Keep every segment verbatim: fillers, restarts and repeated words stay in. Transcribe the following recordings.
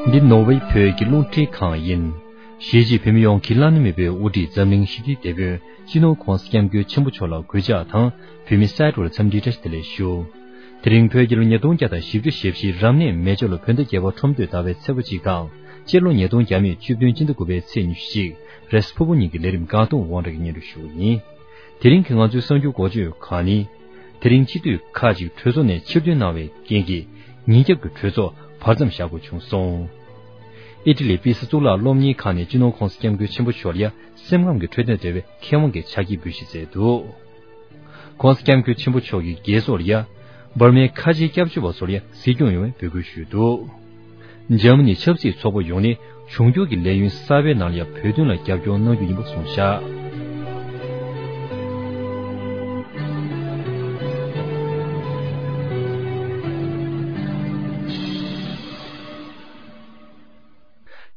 འདི་ནོར་ཝེ་བོད་ཀྱི་རླུང་འཕྲིན་ཁང་ཡིན། གཞིས་བྱེས་བོད་མི་ཡོངས་ཀྱི་བླ་ན་མེད་པའི་དབུ་ཁྲིད་འཛམ་གླིང་ཞི་བདེའི་དེད་དཔོན་སྤྱི་ནོར་༸གོང་ས་༸སྐྱབས་མགོན་ཆེན་པོ་མཆོག་ལ་གུས་ཕྱག་དང་། བོད་མི་སེར་ཚོར་འཚམས་འདྲིའི་བཀྲ་ཤིས་བདེ་ལེགས་ཞུ། དེ་རིང་བོད་རྒྱལ་ལོ་ཉིས་སྟོང་བརྒྱ་དང་བཞི་བཅུ་ཞེ་བཞི་རབ་གནས་མེ་བྱ་ལོ་བོད་ཟླ་བརྒྱད་པ་ཁྲོམ་སྟོད་ཟླ་བའི་ཚེས་པ་གཅིག་དང་། སྤྱི་ལོ་ཉིས་སྟོང་བརྒྱ་མེད་བཅུ་བདུན་སྤྱི་ཟླ་དགུ་པའི་ཚེས་ཉི་ཤུ་གཅིག་རེས་ཕུར་བུ་གཉིས་ཀྱི་ལས་རིམ་འགག་སྟོང་དབང་གྲགས་ཀྱིས་སྙན་སྒྲོན་ཞུ་བ་ཡིན། དེ་རིང་གི་ང་ཚོའི་གསར་འགྱུར་འགོ་བརྗོད་ཁག་ནི། དེ་རིང་སྤྱི་འཐུས་ཁག་ཅིག་གྲོས་ཚོགས་ནས་ཕྱིར་འདོན་གནང་བའི་རྐྱེན་གྱིས། ཉིན་རྒྱབ་ཀྱི་གྲོས་ཚོགས་བར་མཚམས་བཞག་དགོས་བྱུང་སོང་། ཨི་ཊ་ལི་པི་སི་གཙུག་ལག་སློབ་གཉེར་ཁང་ནས་སྤྱི་ནོར་༸གོང་ས་༸སྐྱབས་མགོན་ཆེན་པོ་མཆོག་ལ་ཡ་སེམས་ཁམས་ཀྱི་འཕྲོད་བསྟེན་འབྲེལ་བའི་མཁས་དབང་གི་ཕྱག་འཁྱེར་འབུལ་བཞེས་མཛད་འདུག ༸གོང་ས་༸སྐྱབས་མགོན་ཆེན་པོ་མཆོག་གིས་རྒྱལ་ཚོགས་ལ་ཡ། འབར་མའི་ཁ་ཆེའི་སྐྱབས་བཅོལ་བ་ཚོར་ཡ་གཟིགས་སྐྱོང་ཡོང་བའི་འབོད་སྐུལ་ཞུས་འདུག་འཇར་མ་ནི་ཆབ་སྲིད་ཚོགས་པ་ཡོངས་ནས་འབྱུང་འགྱུར་གྱི་ལས་ཡུན་གསར་པའི་ནང་ལ་ཡ་བོད་དོན་ལ་རྒྱབ་སྐྱོར་གནང་རྒྱུ་ཡིན་པ་གསུངས་བཞག་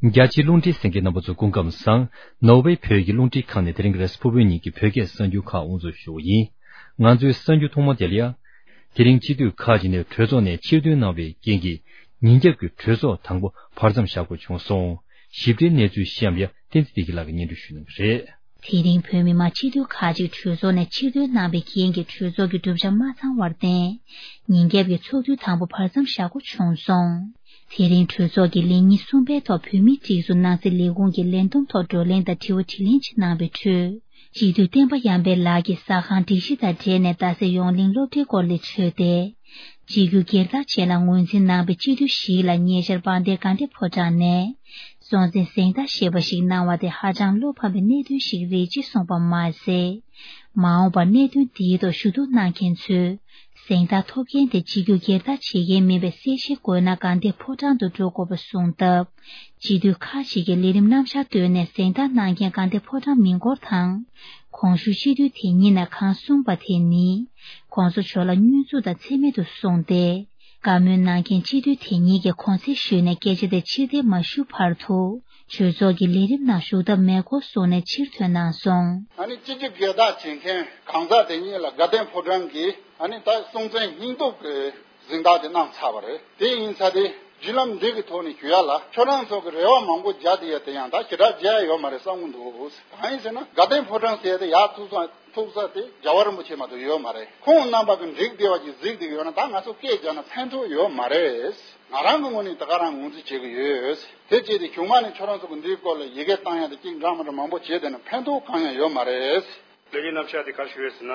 རྒྱ་ཆེའི་རླུང་འཕྲིན་གསན་མཁན་རྣམ་པ་ཚོ་སྐུ་ཁམས་བཟང་། ནོར་ཝེ་བོད་ཀྱི་རླུང་འཕྲིན་ཁང་ནས་དེ་རིང་གི་རེས་ཕུར་བུ་གཉིས་ཀྱི་བོད་སྐད་གསར་འགྱུར་ཁག་དབུ་འཛུགས་ཞུ་བ་ཡིན། ང་ཚོའི་གསར་འགྱུར་ཐོག་མ་དེ་ལ་ཡ། དེ་རིང་སྤྱི་འཐུས་ཁག་ཅིག་ནས་གྲོས་ཚོགས་ནས་ཕྱིར་འདོན་གནང་བའི་རྐྱེན་གྱིས། ཉིན་རྒྱབ་ཀྱི་གྲོས་ཚོགས་དང་པོ་བར་མཚམས་བཞག་དགོས་བྱུང་སོང་། ཞིབ་ཕྲའི་གནས་ཚུལ་གཤམ་ལ་ཡ་བསྟན་འཛིན་བདེ་སྐྱིད་ལགས་ཀྱིས་སྙན་སྒྲོན་ཞུ་གནང་གི་རེད། དེ་རིང་བོད་མི་མང་སྤྱི་འཐུས་ཁག་ཅིག་གྲོས་ཚོགས་ནས་ཕྱིར་འདོན་གནང་བའི་རྐྱེན་གྱིས་གྲོས་ཚོགས་ཀྱི་གྲུབ་ཆ་མ་ཚང་བར་བརྟེན། ཉིན་རྒྱབ་ཀྱི་ཚོགས་དུས་དང་པོ་བར་མཚམས་བཞག་དགོས་བྱུང་སོང་། དེ་རིང་གྲོས་ཚོགས་ཀྱི་ལས་ཉིན་གསུམ་པའི་ཐོག་བོད་མིའི་སྒྲིག་འཛུགས་ནང་སྲིད་ལས་ཁུངས་ཀྱི་ལས་བསྡོམས་ཐོག་བགྲོ་གླེང་དང་དྲི་བ་དྲིས་ལན་ཅིག་གནང་བའི་ཁྲོད། སྤྱི་འཐུས་བསྟན་པ་ཡར་འཕེལ་ལགས་ཀྱིས་ཟ་ཁང་སྒྲིག་གཞི་དང་འབྲེལ་ནས་རྡ་སའི་ཡོངས་གླིང་སློབ་གྲྭའི་སྐོར་ལས་བརྗོད་དེ། སྤྱི་རྒྱུ་སྒེར་བདག་ཅན་ལ་ངོས་འཛིན་གནང་བའི་སྤྱི་འཐུས་ཞིག་ལ་ཉེ་ཆར་དཔལ་ལྡན་དགའ་ལྡན་ཕོ་བྲང་ནས་སྲོང་བཙན་གཟེངས་རྟགས་ཞེས་པ་ཞིག་གནང་བ་དེ་ཧ་ཅང་བློ་ཕམ་པའི་གནད་དོན་ཞིག་རེད་ཅེས་གསུངས་པ་མ་ཟད། མ་འོངས་པར་གནད་དོན་འདིའི་ཐོག་ཞུ་གཏུག་གནང་མཁན་ཚོས། གཟེངས་རྟགས་ཐོབ་མཁན་དེ་སྤྱི་རྒྱུ་སྒེར་བདག་བྱེད་མཁན་མིན་པའི་གསལ་བཤད་དགོས་ན་དགའ་ལྡན་ཕོ་བྲང་དུ་འགྲོ་དགོས་པ་གསུངས་སྟབས། སྤྱི་འཐུས་ཁག་ཅིག་གིས་ལས་རིམ་རྣམ་གཞག་བཏོན་ནས་གཟེངས་རྟགས་གནང་མཁན་དགའ་ལྡན་ཕོ་བྲང་མི་འཁོར་དང་། གོང་ཞུས་སྤྱི་འཐུས་དེ་ཉིད་ནས་གང་གསུངས་པ་དེ་ནི། ༸གོང་ས་མཆོག་ལ་བསྙོན་འཛུགས་དང་མཚན་སྨད་དུ་སོང་སྟེ། བཀའ་མོལ་གནང་མཁན་སྤྱི་འཐུས་དེ་ཉིད་ཀྱིས་གོང་གསལ་ཞུས་ནས་སྐད་ཆ་དེ་ཕྱིར་འཐེན་མ་ཞུ་བར་དུ། གྲོས་ཚོགས་ཀྱི་ལས་རིམ་ནང་ཞུགས་ཐབས་མེད་སྐོར་གསུངས་ནས་ཕྱིར་ཐོན་གནང་སོང་། ཨ་ནི་སྤྱི་རྒྱུ་སྒེར་བདག་བྱེད་མཁན་གང་ཟག་དེ་ཉིད་ལ་དགའ་ལྡན་ཕོ་བྲང་གིས་ཨ་ནི་ད་སྲོང་བཙན་སྙིང་སྟོབས་ཀྱི་གཟེངས་རྟགས་དེ་གནང་ཚར་བ་རེད། དེ་ཡིན་ཚར་དེ་བརྒྱུད་ལམ་འདི་གི་ཐོག་ནས་ཞུ་ཡ་ལ་ཁྱོད་རང་ཚོ་གི་རེ་བ་མང་པོ་རྒྱག་བསྡད་ཡ་དེ་ཡང་ད་ཞེ་དྲག་རྒྱག་ཡ་ཡོད་མ་རེད་བསམ་གི་འདུག་གང་ཡིན་ཟེར་ན་དགའ་ལྡན་ཕོ་བྲང་ཟེར་ཡ་དེ་ཡག་ཐུག་ས་ཐུག་ས་དེ་རྒྱལ་བ་རིན་པོ་ཆེ་མ་གཏོགས་ཡོད་མ་རེད། ཁོང་རྣམ་པ་གི་འགྲིག་བསྡད་པ་ཅིག་གཟིགས་བསྡད་ཀྱི་ཡོད་ན་ད་ང་ཚོ་སྐད་རྒྱག་ན་ཕན་ཐོགས་ཡོད་མ་རེད། ང་རང་གི་ངོས་ནས་ད་ག་རང་ངོས་འཛིན་བྱེད་ཀྱི་ཡོད། དེ་བྱས་ཏེ་གཞུག་མ་ནས་ཁྱོད་རང་ཚོ་གི་འདིའི་སྐོར་ལ་ཡི་གེ་བཏང་ཡ་དང་ཅིག་འདྲ་མི་འདྲ་མང་པོ་བྱས་བསྡད་ན་ཕན་ཐོགས་གང་ཡང་ཡོད་མ་རེད། ལས་ཀའི་རྣམ་གཞག་དེ་ག་རེ་ཞུ་ཡོད་ཟེར་ན།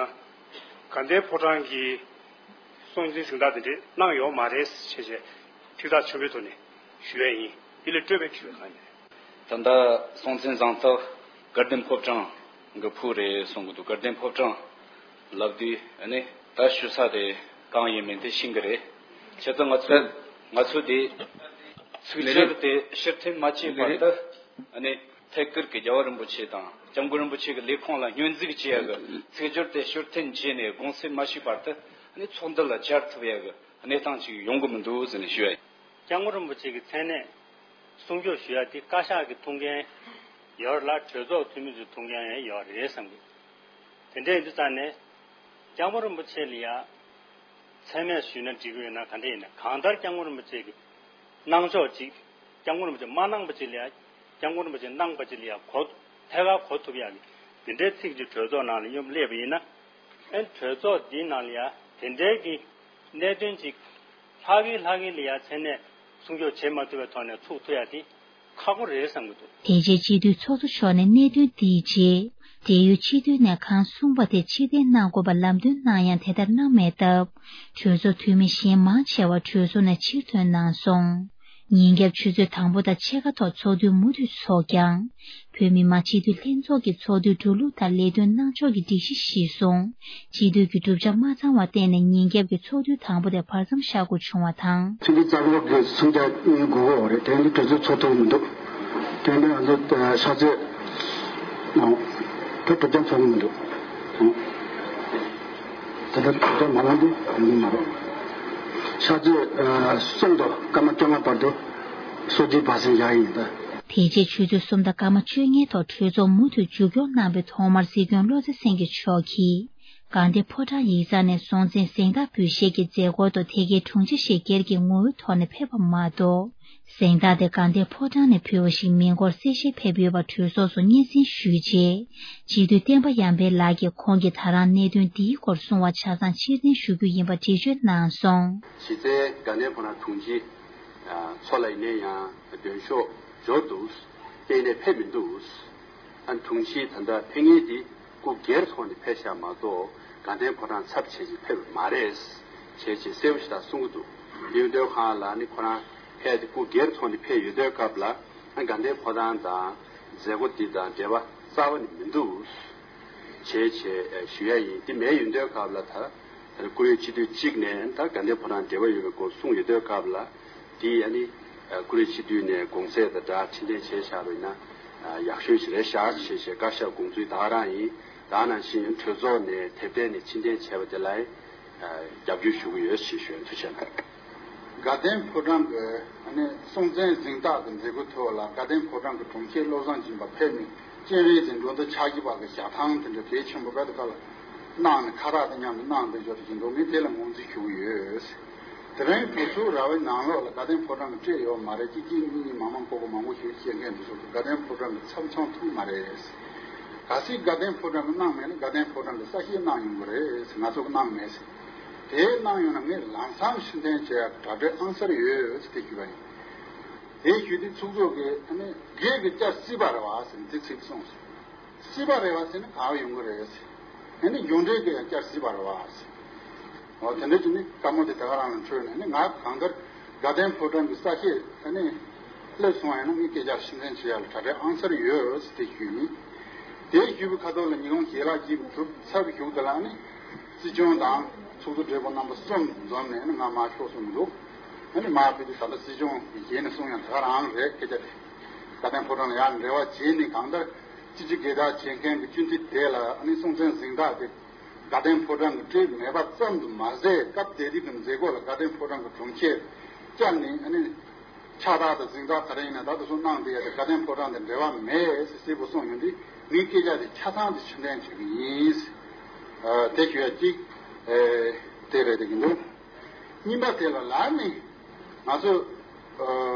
དགའ་ལྡན་ཕོ་བྲང་གིས་སྲོང་བཙན་གཟེངས་རྟགས་དེ་འདྲས་གནང་ཡོད་མ་རེད་ཞེས་བྱས་ཐིག་ཐག་ཆོད་པོའི་ཐོག་ནས་ཞུ་ཡ་ཡིན། དེ་ལས་སྤྲོས་པའི་ཞུ་ཡ་གང་ཡིན། ད་ལྟ་སྲོང་བཙན་གཟེངས་རྟགས་དགའ་ལྡན་ཕོ་བྲང་གི་ཕུལ་རེད་གསུང་གི་འདུག་དགའ་ལྡན་ཕོ་བྲང་ལབ་དུས་ཨ་ནི་ད་ཞུ་ས་དེ་གང་ཡིན་མིན་དེ་ཤེས་ཀྱི་རེད། བྱས་ཙང་ང་ཚོ་ང་ཚོ་དེ་ཚིག་སྦྱོར་དེ་ཕྱིར་འཐེན་མ་བྱས་བར་དུ། ཨ་ནི་ཐད་ཀར་གྱི་རྒྱལ་བ་རིན་པོ་ཆེ་དང་སྐྱབས་མགོན་རིན་པོ་ཆེ་གི་ལས་ཁུངས་ལ་སྙོན་འཛུགས་བྱེད་ཡ་གི་ཚིག་སྦྱོར་དེ་ཕྱིར་འཐེན་བྱས་ནས་དགོངས་སེལ་མ་ཞུས་བར་དུ་ཨ་ནི་ཚོགས་འདུ་ལ་བཅར་ཐུབ་ཡ་གི་གནས་སྟངས་ཅིག་ཡོང་གི་མི་འདུག་ཟེར་ནས་ཞུ་ཡ་ཡིན། སྐྱབས་མགོན་རིན་པོ་ཆེ་གི་མཚན་གནས་སྲུང་སྐྱོབ་ཞུ་ཡ་དེ་བཀའ་ཤག་གི་ཐུགས་འགན་ཡོད་རེད་ལ་གྲོས་ཚོགས་འཐུས་མི་ཚོའི་ཐུགས་འགན་ཡང་ཡོད་རེད་བསམ་གི། དེ་འདྲ་ཡིན་དུས་ཙང་ནས་སྐྱབས་མགོན་རིན་པོ་ཆེ་ལ་ཡ། མཚན་སྨད་ཞུས་ན་འགྲིག་གི་ཡོད་ན་ག་འདྲ་ཡིན་ན་གང་ལྟར་སྐྱབས་མགོན་རིན་པོ་ཆེ་གི་གནང་ཕྱོགས་ཅིག་སྐྱབས་མགོན་རིན་པོ་ཆེ་མ་གནང་པ་ཅིག་ལ་ཡ། སྐྱབས་མགོན་རིན་པོ་ཆེ་གནང་པ་ཅིག་ལ་ཡ་གོ་ཐད་ཀར་གོ་ཐུབ་ཡ་གི་དེ་འདྲའི་ཚིག་ཅིག་གྲོས་ཚོགས་ནང་ལ་མཉམ་སླེབས་པ་ཡིན་ན། ཨེ་གྲོས་ཚོགས་འདིའི་ནང་ལ་ཡ་དེ་འདྲའི་གི་གནད་དོན་ཅིག་ལྷག་གི་ལྷག་གི་ལ་ཡ་མཚན་སྨད་སྲུང་སྐྱོབ་བྱེད་མ་ཐུབ་པའི་ཐོག་ནས་ཚུགས་ཐུབ་ཡ་དེ། ཁག་པོ་རེད་བསམ་གྱི་འདུག་དེ་རྗེས་སྤྱི་འཐུས་ཚོགས་གཙོ་མཆོག་ནས་གནད་དོན་འདིའི་རྗེས། འབྲེལ་ཡོད་སྤྱི་འཐུས་ནས་གང་གསུངས་པ་དེ་ཕྱིར་འཐེན་གནང་དགོས་པ་ལམ་སྟོན་གནང་ཡང་དེ་ལྟར་གནང་མེད་སྟབས། གྲོས་ཚོགས་འཐུས་མི་གཞན་མང་ཆེ་བ་གྲོས་ཚོགས་ནས་ཕྱིར་ཐོན་གནང་སོང་། ཉིན་རྒྱབ་ཆུ་ཚོད་དང་པོ་དང་ཕྱེད་ཀ་ཐོག་ཚོགས་དུས་མུ་མཐུད་འཚོགས་ཀྱང་། བོད་མི་མང་སྤྱི་འཐུས་ལྷན་ཚོགས་ཀྱི་ཚོགས་དུས་འགྲོ་ལུགས་དང་ལས་དོན་གནང་ཕྱོགས་ཀྱི་སྒྲིག་གཞི་གཞིར་བཟུང་། སྤྱི་འཐུས་ཀྱི་གྲུབ་ཆ་མ་ཚང་བར་བརྟེན་ནས་ཉིན་རྒྱབ་ཀྱི་ཚོགས་དུས་དང་པོ་དེ་བར་མཚམས་བཞག་དགོས་བྱུང་བ་དང་། ཆུ་ཚོད་རྩ་འགོ་གི་སུམ་བརྒྱ་ཉིན་དགུ་གོ་རེད། དེ་འདི་གྲོས་ཚོགས་ཚོགས་ཐུབ་མི་འདུག་དེ་འདི་ང་ཚོ་ཤར་རྩེ་ནང་དེ་གྲུབ་ཆ་ཚོགས་མི་འདུག་དེ་འདྲ་གྲུབ་ཆ་མ་ལངས་དུས་ཡོང་གི་མ་རེད། ཤར་རྩེ་གསུམ་དང་སྐར་མ་བཅོ་ལྔ་བར་དུ་སོ་བརྒྱད་བར་སེང་བཞག་ཡིན་ད། དེ་རྗེས་ཆུ་ཚོད་གསུམ་དང་སྐར་མ་བཅོ་ལྔའི་ཐོག་གྲོས་ཚོགས་མུ་མཐུད་མཇུག་སྐྱོང་གནང་བའི་ཐོག་མར་སྲིད་སྐྱོང་བློ་བཟང་སེང་གེ་མཆོག་གིས། དགའ་ལྡན་ཕོ་བྲང་ཡིག་ཚང་ནས་སྲོང་བཙན་གཟེངས་རྟགས་འབུལ་བཞེས་ཀྱི་མཛད་སྒོ་དུ་དེ་གའི་དྲུང་ཆེ་ཞིག་སྒེར་གྱི་ངོ་བོའི་ཐོག་ནས་ཕེབས་པ་མ་གཏོགས། གཟེངས་རྟགས་དེ་དགའ་ལྡན་ཕོ་བྲང་ནས་ཕུལ་བ་ཞིག་མིན་སྐོར་གསལ་བཤད་ཕེབས་ཡོད་པ་གྲོས་ཚོགས་སུ་སྙན་སེང་ཞུས་རྗེས། སྤྱི་འཐུས་བསྟན་པ་ཡར་འཕེལ་ལགས་ཀྱིས་ཁོང་གིས་ད་རང་གནད་དོན་འདིའི་སྐོར་གསུང་བ་ཆ་ཚང་ཕྱིར་འཐེན་ཞུ་རྒྱུ་ཡིན་པ་འགྲེལ་བརྗོད་གནང་སོང་། གཞི་རྩའི་དགའ་ལྡན་ཕོ་བྲང་དྲུང་ཆེ་མཚོ་ལགས་ཡིན་ན་ཡང་མདུན་ཤོག་འབྱོར་འདུག་གཏན་ནས་ཕེབས་མི་འདུག་ཨ་དྲུང་ཆེ་ད་ལྟ་ཕེབས་མཁན་དེ་སྐུ་སྒེར་ཐོག་ནས་ཕེབས་ཤག་མ་གཏོགས་དགའ་ལྡན་ཕོ་བྲང་ཚབ་བྱས་ཀྱི་ཕེབས་པ་མ་རེད། བྱས་ཀྱི་གསལ་པོ་ཞིག་ད་གསུང་གི་འདུག་འདི་ཡོད་དོན་གང་ལ་ནི་ཁོ་རང་ཕེབས་ཏེ་སྐུ་སྒེར་ཐོག་ནས་ཕེབས་ཡོད་དོན་སྐབས་ལ་ཨ་དགའ་ལྡན་ཕོ་བྲང་དང་མཛད་སྒོ་འདི་དང་འབྲེལ་བ་རྩ་བ་ནས་མི་འདུག་བྱས་བྱས་ཞུ་ཡ་ཡིན། འདི་མེད་ཡོད་དོན་སྐབས་ལ་ད་ད་བཀུར་འོས་སྤྱི་འཐུས་གཅིག་ནས་ད་དགའ་ལྡན་ཕོ་བྲང་འབྲེལ་བ་ཡོད་པའི་སྐོར་གསུངས་ཡོད་དོན་སྐབས་ལ། དེ་ཨ་ནི་བཀུར་འོས་སྤྱི་འཐུས་ནས་དགོངས་ཚད་དང་སྦྲགས་ཕྱིར་འཐེན་བྱས་བཞག་པ་ཡིན་ན་ཡག་ཤོས་ཤིག་རེད་ཤག་ཞེས་བཤད། བཀའ་ཤག་དགོངས་ཚུལ་ད་ག་རང་ཡིན། ད་ནང་བཞིན་གྲོས་ཚོགས་ནས་དེབ་ཐེར་ནས་ཕྱིར་འཐེན་བྱས་པ་དེ་ལ་རྒྱབ་སྐྱོར་ཞུ་གི་ཡོད་ཞེས་ཞུ་ཡ། ཐུགས་རྗེ་ཆེ། དགའ་ལྡན་ཕོ་བྲང་གི་ཨ་ནི་སྲོང་བཙན་གཟེངས་རྟགས་ཀྱི་མཛད་སྒོའི་ཐོག་ལ་དགའ་ལྡན་ཕོ་བྲང་གི་དྲུང་ཆེ་བློ་བཟང་སྦྱིན་པ་ཕེབས་ནས་སྤྱན་རས་གཟིགས་འགྲོ་འདུལ་ཕྱག་བགྱིས་པ་གི་ཞལ་ཐང་དེ་འདྲ་གལ་ཆེན་པོ་དཔེ་དེ་ག་ལ་གནང་ནས་ཁ་བཏགས་དང་མཉམ་དུ་གནང་བསྡད་ཡོད་ཀྱི་འདུག་ངས་དེ་ལ་ངོས་འཛིན་ཞུ་གི་ཡོད། དེ་རིང་གྲོས་ཚོགས་ར་བའི་ནང་ལོགས་ལ་དགའ་ལྡན་ཕོ་བྲང་གི་སྤྲད་ཡོད་མ་རེད། གཅིག་གཅིག་གཉིས་གཉིས་མང་མང་ཁོག་ཁོག་མང་པོ་ཞིག་བཤད་མཁན་དེ་ཚོ་གི་དགའ་ལྡན་ཕོ་བྲང་གི་ཚབ་མཚོན་ཐུབ་མ་རེད། གལ་སྲིད་དགའ་ལྡན་ཕོ་བྲང་གི་གནང་མེད་ན་དགའ་ལྡན་ཕོ་བྲང་གི་གསལ་བཤད་གནང་ཡོང་གི་རེད། ང་ཚོ་གི་གནང་མེད་ཟེར། དེ་གནང་ཡོང་ན་ངས་ལམ་སང་ཕྱིར་འཐེན་བྱེད་ཡ་གྲ་སྒྲིག་ཨང་གསར་ཡོད་ཟེར་དེ་ཞུས་པ་ཡིན། དེ་ཞུས་དུས་ཚོགས་གཙོ་གིས་ཨ་ནི་སྒེར་གྱི་བསྐྱར་སྲིད་པ་རེད་བ་ཟེར་ནས་དེ་ཚིག་གསུངས་སོང་། སྲིད་པ་རེད་བ་ཟེར་ན་ག་བ་ཡོང་གི་རེད་ཟེར། ཨ་ནི་གཞུང་འབྲེལ་གྱི་ཡང་བསྐྱར་སྲིད་པ་རེད་བ་ཟེར། འོ་དེ་འདྲ་ཅིག་ནི་བཀའ་མོལ་དེ་ད་ག་རང་ལ་འཕྲོད་ནས་ནི་ང་གང་ལྟར་དགའ་ལྡན་ཕོ་བྲང་གི་གསལ་བཤད་ཨ་ནི་སླེབས་སོང་ཡིན་ན་ངས་སྐད་ཆ་ཕྱིར་འཐེན་བྱེད་ཡ་ལ་གྲ་སྒྲིག་ཨང་གསར་ཡོད་ཟེར་དེ་ཞུས་ཡིན། དེ་ཞུས་པའི་ཁ་ཐོག་ལ་ཉིས་སྟོང་བརྒྱད་ལ་སྐྱིད་པའི་གྲུབ་ཚར་བའི་གཞུག་དེ་ལ་ཨ་ནི་སྲིད་སྐྱོང་དང་ཚོགས་གཙོ་སྦྲེལ་པོ་རྣམ་པ་གསུམ་འཛོམས་ནས་ཨ་ནི་ང་མར་ཤོག་གསུངས་འདུག་ཨ་ནི་མར་ཕེབས་དུས་ད་ལྟ་སྲིད་སྐྱོང་གི་ཞལ་ནས་གསུང་ཡང་ད་ག་རང་རེད། སྐད་ཆ་དེ་དགའ་ལྡན་ཕོ་བྲང་ལ་ཡང་འབྲེལ་བ་བྱས་ནས་གང་ལྟར་སྤྱི་སྤྱོད་སྒེར་བདག་བྱེད་མཁན་གྱི་སྤྱི་འཐུས་དེ་ལ་ཨ་ནི་སྲོང་བཙན་གཟེངས་རྟགས་དེ་དགའ་ལྡན་ཕོ་བྲང་གི་སྤྲད་མེད་པ་ཙམ་དུ་མ་ཟད། སྐབས་དེ་དུས་ཀྱི་མཛད་སྒོ་ལ་དགའ་ལྡན་ཕོ་བྲང་གི་དྲུང་ཆེ་བཅར་ནས་ཨ་ནི་ཕྱག་རྟགས་དང་གཟེངས་རྟགས་ག་རེ་ཡིན་ན་ད་དུ་སོང་གནང་དེ་ཡ་དེ་དགའ་ལྡན་ཕོ་བྲང་དང་འབྲེལ་བ་མེད་ཟེར་གསལ་པོ་གསུངས་ཡོང་དུས་ངས་སྐད་ཆ་དེ་ཆ་ཚང་དེ་ཕྱིར་འཐེན་བྱེད་ཀྱི་ཡིན། ཨ་དེ་ཞུ་ཡ་གཅིག་ཨེ་དེ་རེད་དེ་གི་འདུག་གཉིས་པ་དེ་ལ་ལ་ནི་ང་ཚོ་ཨ་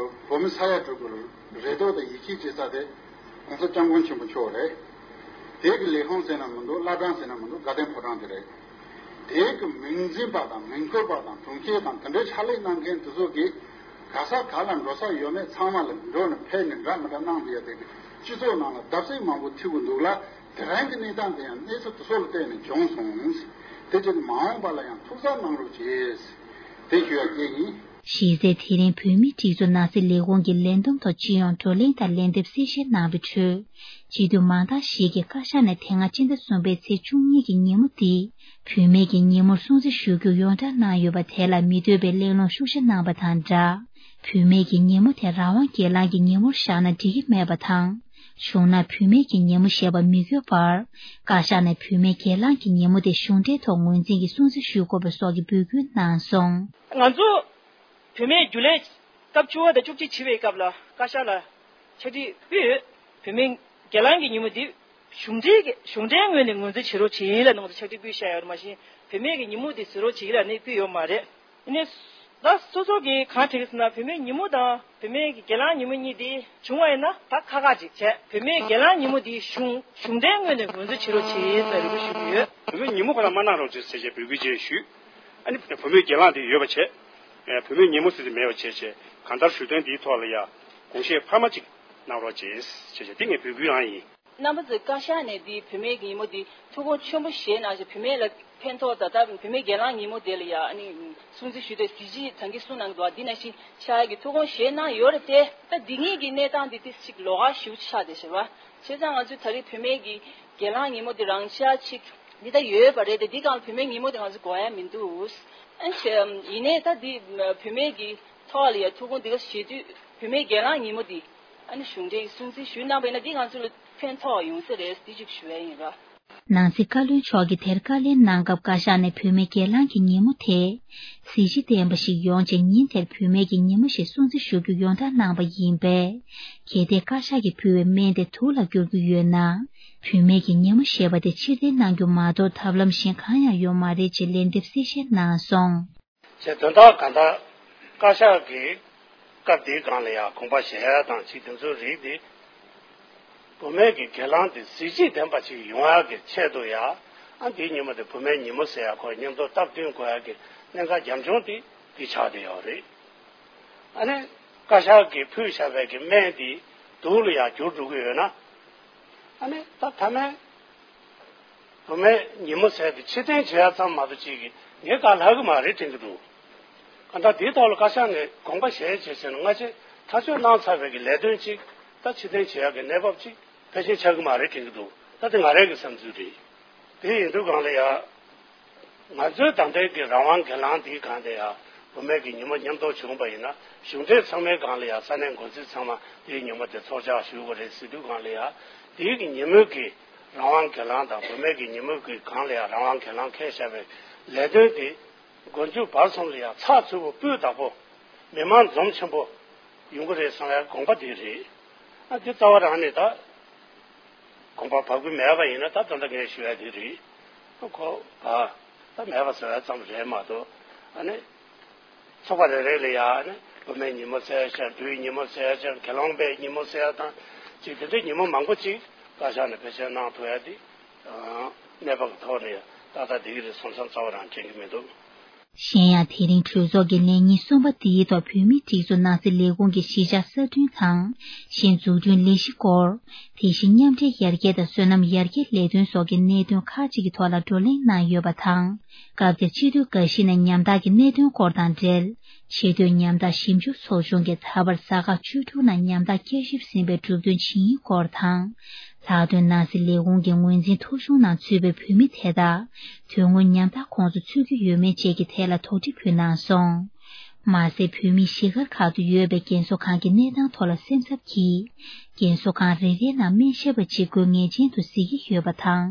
བོད་མི་ས་ཡ་དྲུག་གི་རེ་དོགས་དང་ཡིད་ཆེས་བྱེད་ས་དེ་༸གོང་ས་༸སྐྱབས་མགོན་ཆེན་པོ་མཆོག་རེད། དེ་གི་ལས་ཁུངས་ཟེར་ན་མི་འདུག་བླ་བྲང་ཟེར་ན་མི་འདུག་དགའ་ལྡན་ཕོ་བྲང་དེ་རེད། དེ་གི་མིང་འཛིན་པ་དང་མིང་འཁུར་བ་དང་དྲུང་ཆེ་དང་དེ་འདྲའི་ཕྱག་ལས་གནང་མཁན་དེ་ཚོ་གིས་ག་ས་ག་ལ་འགྲོ་ས་ཡོད་མེད་ཚང་མ་ལ་འགྲོ་ནས་ཕེབས་ནས་འདྲ་མི་འདྲ་གནང་བསྡད་ཡ་དེ་གི་སྤྱི་ཚོགས་ནང་ལ་བརྡབ་གསིག་མང་པོ་ཐེབས་ཀྱི་འདུག་ལ། དེ་རིང་གི་གནས་སྟངས་དེ་ཡང་གནས་ཚུལ་དེ་ཚོ་ལ་བརྟེན་ནས་བྱུང་སོང་། དེ་བྱས་ནས་མ་འོངས་པ་ལ་ཡང་ཐུགས་གཟབ་གནང་རོགས་བྱེད། དེ་ཞུ་ཡ་སྐད་ཡིན། གཞི་རྩའི་དེ་རིང་བོད་མིའི་སྒྲིག་འཛུགས་ནང་སྲིད་ལས་ཁུངས་ཀྱི་ལས་བསྡོམས་ཐོག་སྤྱི་ཡོངས་བགྲོ་གླེང་དང་ལན་འདེབས་གསལ་བཤད་གནང་བའི་ཁྲོད། སྤྱི་འཐུས་མང་དག་ཞིག་གིས་བཀའ་ཤག་ནས་དེ་སྔ་སྤྱི་ཟླ་གསུམ་པའི་ཚེས་བཅུ་གཉིས་ཀྱི་ཉིན་མོ་འདི་བུད་མེད་ཀྱི་ཉིན་མོར་སྲུང་བརྩི་ཞུ་རྒྱུ་ཡོངས་བསྒྲགས་གནང་ཡོད་པ་དེ་ལ་མི་འདོད་པའི་གླེང་སློང་ཤུགས་ཆེ་གནང་བ་དང་སྦྲགས། བུད་མེད་ཀྱི་ཉིན་མོ་དེ་རང་དབང་སྒེར་ལངས་ཀྱི་ཉིན་མོར་བཞག་ན་འགྲིག་གི་མེད་པ་དང་། བྱུང་ན་བུད་མེད་ཀྱི་ཉིན་མོ་ཞེས་པ་མི་དགོས་པར། བཀའ་ཤག་ནས་བུད་མེད་སྒེར་ལངས་ཀྱི་ཉིན་མོ་དེ་གཞུང་འབྲེལ་ཐོག་ངོས་འཛིན་གྱིས་སྲུང་བརྩི་ཞུ་དགོས་པ་སོགས་ཀྱི་འབོད་སྐུལ་གནང་སོང་། ང་ཚོ་བུད་མེད་རྒྱུན་ལས་སྐབས་བཅུ་པ་དང་བཅུ་གཅིག་བྱེད་པའི་སྐབས་ལ་བཀའ་ཤག་ལ་ཕྱག་བྲིས་ཕུལ་ཡོད། བུད་མེད་སྒེར་ལངས་ཀྱི་ཉིན་མོ་འདི་གཞུང་འབྲེལ་གྱི་གཞུང་འབྲེལ་ངོས་ནས་ངོས་འཛིན་བྱེད་རོགས་བྱེད་ལ་ནང་དུ་ཕྱག་བྲིས་ཕུལ་བཞག་ཡོད་རེད། མ་གཞི་བུད་མེད་ཀྱི་ཉིན་མོ་འདི་བཟོ་རོགས་བྱེད་ལ་ནི་ཕུལ་ཡོད་མ་རེད། ཡིན་ནའི། ད་སོ་སོ་གིས་གང་དྲན་ཟེར་ན་བུད་མེད་ཉིན་མོ་དང་བུད་མེད་ཀྱི་སྒེར་ལངས་ཉིན་མོ་གཉིས་དེ་བྱུང་བ་ཡིན་ན་ད་ཁག་ཁག་ཅིག་བྱས། བུད་མེད་སྒེར་ལངས་ཉིན་མོ་དེ་གཞུང་གཞུང་འབྲེལ་ངོས་ནས་ངོས་འཛིན་བྱེད་རོགས་བྱེད་ཟེར་རེ་སྐུལ་ཞུ་གི་ཡོད། བུད་མེད་ཉིན་མོ་ཁོ་ན་མ་གནང་རོགས་བྱེད་ཟེར་བྱས་འབོད་སྐུལ་ཅིག་ཞུས། ཨ་ནི་བུད་མེད་སྒེར་ལངས་དེ་ཡོད་པ་བྱས། བུད་མེད་ཉིན་མོ་ཟེར་དེ་མེད་པ་བྱས་བྱས་གང་ལྟར་ཞུ་དོན་དེའི་ཐོག་ལ་ཡ་དགོངས་བཞེས་འཕར་མ་ཅིག་གནང་རོགས་བྱེད་ཟེར་བྱས་དེ་ངས་འབོད་སྐུལ་རང་ཡིན། རྣམ་པ་ཚོས་བཀའ་ཤག་ནས་འདི་བུད་མེད་ཀྱི་ཉིན་མོ་འདི་ཐུགས་དགོངས་ཆེན་པོ་བཞེས་གནང་ཞིང་བུད་མེད་ལ་ཕན་ཐོགས་ད་ལྟ་བུད་མེད་སྒེར་ལངས་ཉིན་མོ་དེ་ལ་ཡང་ཨ་ནི་སྲུང་བརྩི་ཞུས་ཏེ་གཟི་བརྗིད་ད་གིན་གསུངས་གནང་གི་འདུག་བ། འདི་ནང་བཞིན་ཕྱག་གི་ཐུགས་དགོངས་བཞེས་གནང་ཡོད་རེད་དེ། ད་འདི་གཉིས་ཀྱི་གནས་སྟངས་འདི་ཏིས་ཅིག་ལོགས་ཀ་ཞེ་པོ་ཆགས་བསྡད་ཤག་བ། བྱས་ཙང་ང་ཚོས་ད་རེས་བུད་མེད་ཀྱི་སྒེར་ལངས་ཉིན་མོ་འདི་རང་འཇགས་ཅིག་འདི་ད་ཡོད་པ་རེད་དེ། འདི་སྒང་ལ་བུད་མེད་ཉིན་མོ་དེ་ང་ཚོ་དགོས་ཡ་མི་འདུག་ཨ་ནི་བྱས་ཡིན་ནའི་ད་འདི་བུད་མེད་ཀྱི་ཐོག་ལ་ཡ་ཐུགས་དགོངས་འདི་ག་བཞེས་དུས་བུད་མེད་སྒེར་ལངས་ཉིན་མོ་འདི། ཨ་ནི་གཞུང་འབྲེལ་གྱི་སྲུང་བརྩི་ཞུས་གནང་བ་ཡིན་ན་འདི་ང་ཚོ་ལ་ཕན་ཐོགས་ཡོང་ས་རེད། འདི་ཅིག་ཞུ་ཡ་ཡིན་ར། ནང་སྲིད་བཀའ་བློན་མཆོག་གིས་དེར་བཀའ་ལན་གནང་སྐབས། བཀའ་ཤག་ནས་བུད་མེད་སྒེར་ལངས་ཀྱི་ཉིན་མོ་དེ་གཟི་བརྗིད་ལྡན་པ་ཞིག་ཡོང་ཆེད། ཉིན་དེར་བུད་མེད་ཀྱི་ཉིན་མོ་ཞེས་སྲུང་བརྩི་ཞུ་རྒྱུ་ཡོངས་བསྒྲགས་གནང་བ་ཡིན་པས། གལ་ཏེ་བཀའ་ཤག་གིས་ཕུལ་བའི་སྨན་དེ་དུག་ལ་བསྒྱུར་རྒྱུ་ཡོད་ན། བུད་མེད་ཀྱི་ཉིན་མོ་ཞེས་པ་དེ་ཕྱིར་འཐེན་གནང་རྒྱུ་མ་གཏོགས། ཐབས་ལམ་གཞན་གང་ཡང་ཡོད་མ་རེད་ཅེས་ལན་འདེབས་གསལ་བཤད་གནང་སོང་། ཞེས་དོན་དག་གང་ལྟར། བཀའ་ཤག་གིས་སྐབས་འདིའི་སྒང་ལ་ཡང་དགོངས་པ་བཞེས་ཡ་དང་། ཅིག་དེ་ཚོའི་རིགས་དེ། བུད་མེད་ཀྱི་སྒེར་ལངས་དེ་གཟི་བརྗིད་ལྡན་པ་ཅིག་ཡོང་ཡ་གི་ཆེད་དུ་ཡ། ཨ། འདིའི་ཉིན་མོ་དེ་བུད་མེད་ཉིན་མོ་ཟེར་ཡ། ཁོ་མཉམ་དུ་སྟབས་བསྟུན་དགོས་ཡ་གི་གནད་འགག་རྒྱབ་ལྗོངས་དེ་འདི་ཆགས་བསྡད་ཡོད་རེད། ཨ་ནི་བཀའ་ཤག་གིས་ཕུལ་བཞག་པའི་གི་སྨན་དེ་དུག་ལ་ཡ་འགྱུར་འགྲོ་གི་ཡོད་ན། ཨ་ནི་ད་ཐ་མའི་བུད་མེད་ཉིན་མོ་ཟེར་དེ་ཕྱིར་འཐེན་བྱེད་ཡ་ཙམ་མ་གཏོགས་ཅིག་གིས་ངས་གང་ལྷག་གི་མ་རེད་དྲན་གྱི་འདུག་གང་ལྟར་དེའི་ཐོག་ལ་བཀའ་ཤག་ནས་དགོངས་པ་བཞེས་བྱས་ཟེར་ན། སྔ་རྗེས་ཐག་གཅོད་གནང་ཚར་བའི་གི་ལས་དོན་ཅིག་ད་ཕྱིར་འཐེན་བྱེད་ཡ་གི་གནས་བབ་ཅིག་ཕལ་ཆེར་ཆགས་ཀྱི་མ་རེད་དྲན་གྱི་འདུག་ད་དེ་ང་རང་གི་བསམ་ཚུལ་རེད། དེ་ཡིན་དུས་སྒང་ལ་ཡ། ང་ཚོའི་ད་ལྟའི་གི་རང་དབང་སྒེར་ལངས་འདིའི་སྒང་ལ་ཡ། བུད་མེད་ཀྱི་ཉིན་མོ་མཉམ་དུ་བྱུང་བ་ཡིན་ན། གཞུང་འབྲེལ་ཚང་མའི་སྒང་ལ་ཡ། ས་གནས་འགོ་འཛིན་ཚང་མ་དེའི་ཉིན་མོ་དེ་ཚོགས་བཅར་ཞུ་དགོས་རེད་ཟེར་དུས་སྒང་ལ་ཡ། དེའི་གི་ཉིན་མོའི་གི་རང་དབང་སྒེར་ལངས་དང་། བུད་མེད་ཀྱི་ཉིན་མོའི་གི་སྒང་ལ་ཡ་རང་དབང་སྒེར་ལངས་འཁེལ་བཞག་པའི་ལས་དོན་དེ། མགོ་མཇུག་བར་གསུམ་ལ་ཡང་ཚགས་ཚུད་པོ་སྤུས་དག་པོ། མི་མང་འཛོམས་ཆེན་པོ་ཡོང་གི་རེད་བསམ་ཡ་དགོངས་པ་དེ་རེད། ཨ། དེ་རྩ་བ་རང་ནས་ད་དགོངས་པ་བབས་ཀྱི་མེད་པ་ཡིན་ན། ད་ད་ལྟ་ངས་ཞུ་ཡ་དེ་རེད། ཨ། ཁོ་བ་ད་མེད་པ་བཟོ་ཡ་ཙམ་རེད་མ་གཏོགས། ཨ་ནི་ཚོགས་པ་རེ་རེ་ལ་ཡ། ཨ་ནི་བུད་མེད་ཉིན་མོ་ཟེར་ཡ་ཅིག་དང་། བུའི་ཉིན་མོ་ཟེར་ཡ་ཅིག་དང་། སྒེར་ལངས་པའི་ཉིན་མོ་ཟེར་ཡ་དང་། ཅིག་དེ་འདྲའི་ཉིན་མོ་མང་པོ་ཅིག་བཀའ་ཤག་ནས་བེད་སྤྱོད་གནང་ཐུབ་ཡ་དེ། ཨ། གནས་བབ་ཀྱི་ཐོག་ནས་ཏག་ཏག་བསྡད་ཀྱི་རེད་བསམ་བསམ་རྩ་བ་རང་དྲན་གྱི་མི་འདུག་གཞན་ཡང་། དེ་རིང་གྲོས་ཚོགས་ཀྱི་ལས་ཉིན་གསུམ་པ་འདིའི་ཐོག་བོད་མིའི་སྒྲིག་འཛུགས་ནང་སྲིད་ལས་ཁུངས་ཀྱི་གཞིས་ཆགས་གསར་སྐྲུན་དང་། གཞན་འཛུགས་སྐྲུན་ལས་གཞི་སྐོར། དེ་བཞིན་མཉམ་འབྲེལ་ཡར་རྒྱས་དང་སོ་ནམ་ཡར་རྒྱས་ལས་དོན་སོགས་ཀྱི་གནད་དོན་ཁག་ཅིག་གི་ཐོག་ལ་བགྲོ་གླེང་གནང་ཡོད་པ་དང་། སྐབས་དེར་སྤྱི་འཐུས་འགའ་ཞིག་ནས་ཉམ་ཐག་གི་གནད་དོན་སྐོར་དང་འབྲེལ། ཆེས་མཐོའི་ཉམ་ཐག་ཞིབ་འཇུག་ཚོགས་ཆུང་གིས་ད་བར་ས་ཁག་བཅུ་དྲུག་ནང་ཉམ་ཐག་བསྐྱར་ཞིབ་ཟིན་པའི་གྲུབ་དོན་ཇི་ཡིན་སྐོར་དང་། ལྷག་དོན་ནང་སྲིད་ལས་ཁུངས་ཀྱི་ངོས་འཛིན་ཐོ་གཞུང་ནང་ཚུད་པའི་བོད་མི་དེ་དག་དོན་དངོས་ཉམ་ཐག་ཁོངས་སུ་ཚུད་ཀྱི་ཡོད་མེད་བཅས་ཀྱི་ཐད་ལ་དོགས་འདྲི་ཕུལ་གནང་སོང་། མ་ཟད། བོད་མིའི་གཞིས་སྒར་ཁག་ཏུ་ཡོད་པའི་རྒན་གསོ་ཁང་གི་གནས་སྟངས་ཐོག་ལ་སེམས་འཚབ་ཀྱིས། རྒན་གསོ་ཁང་རེ་རེའི་ནང་སྨན་ཞབས་པ་གཅིག་དགོས་ངེས་ཅན་དུ་གཟིགས་ཀྱི་ཡོད་པ་དང་།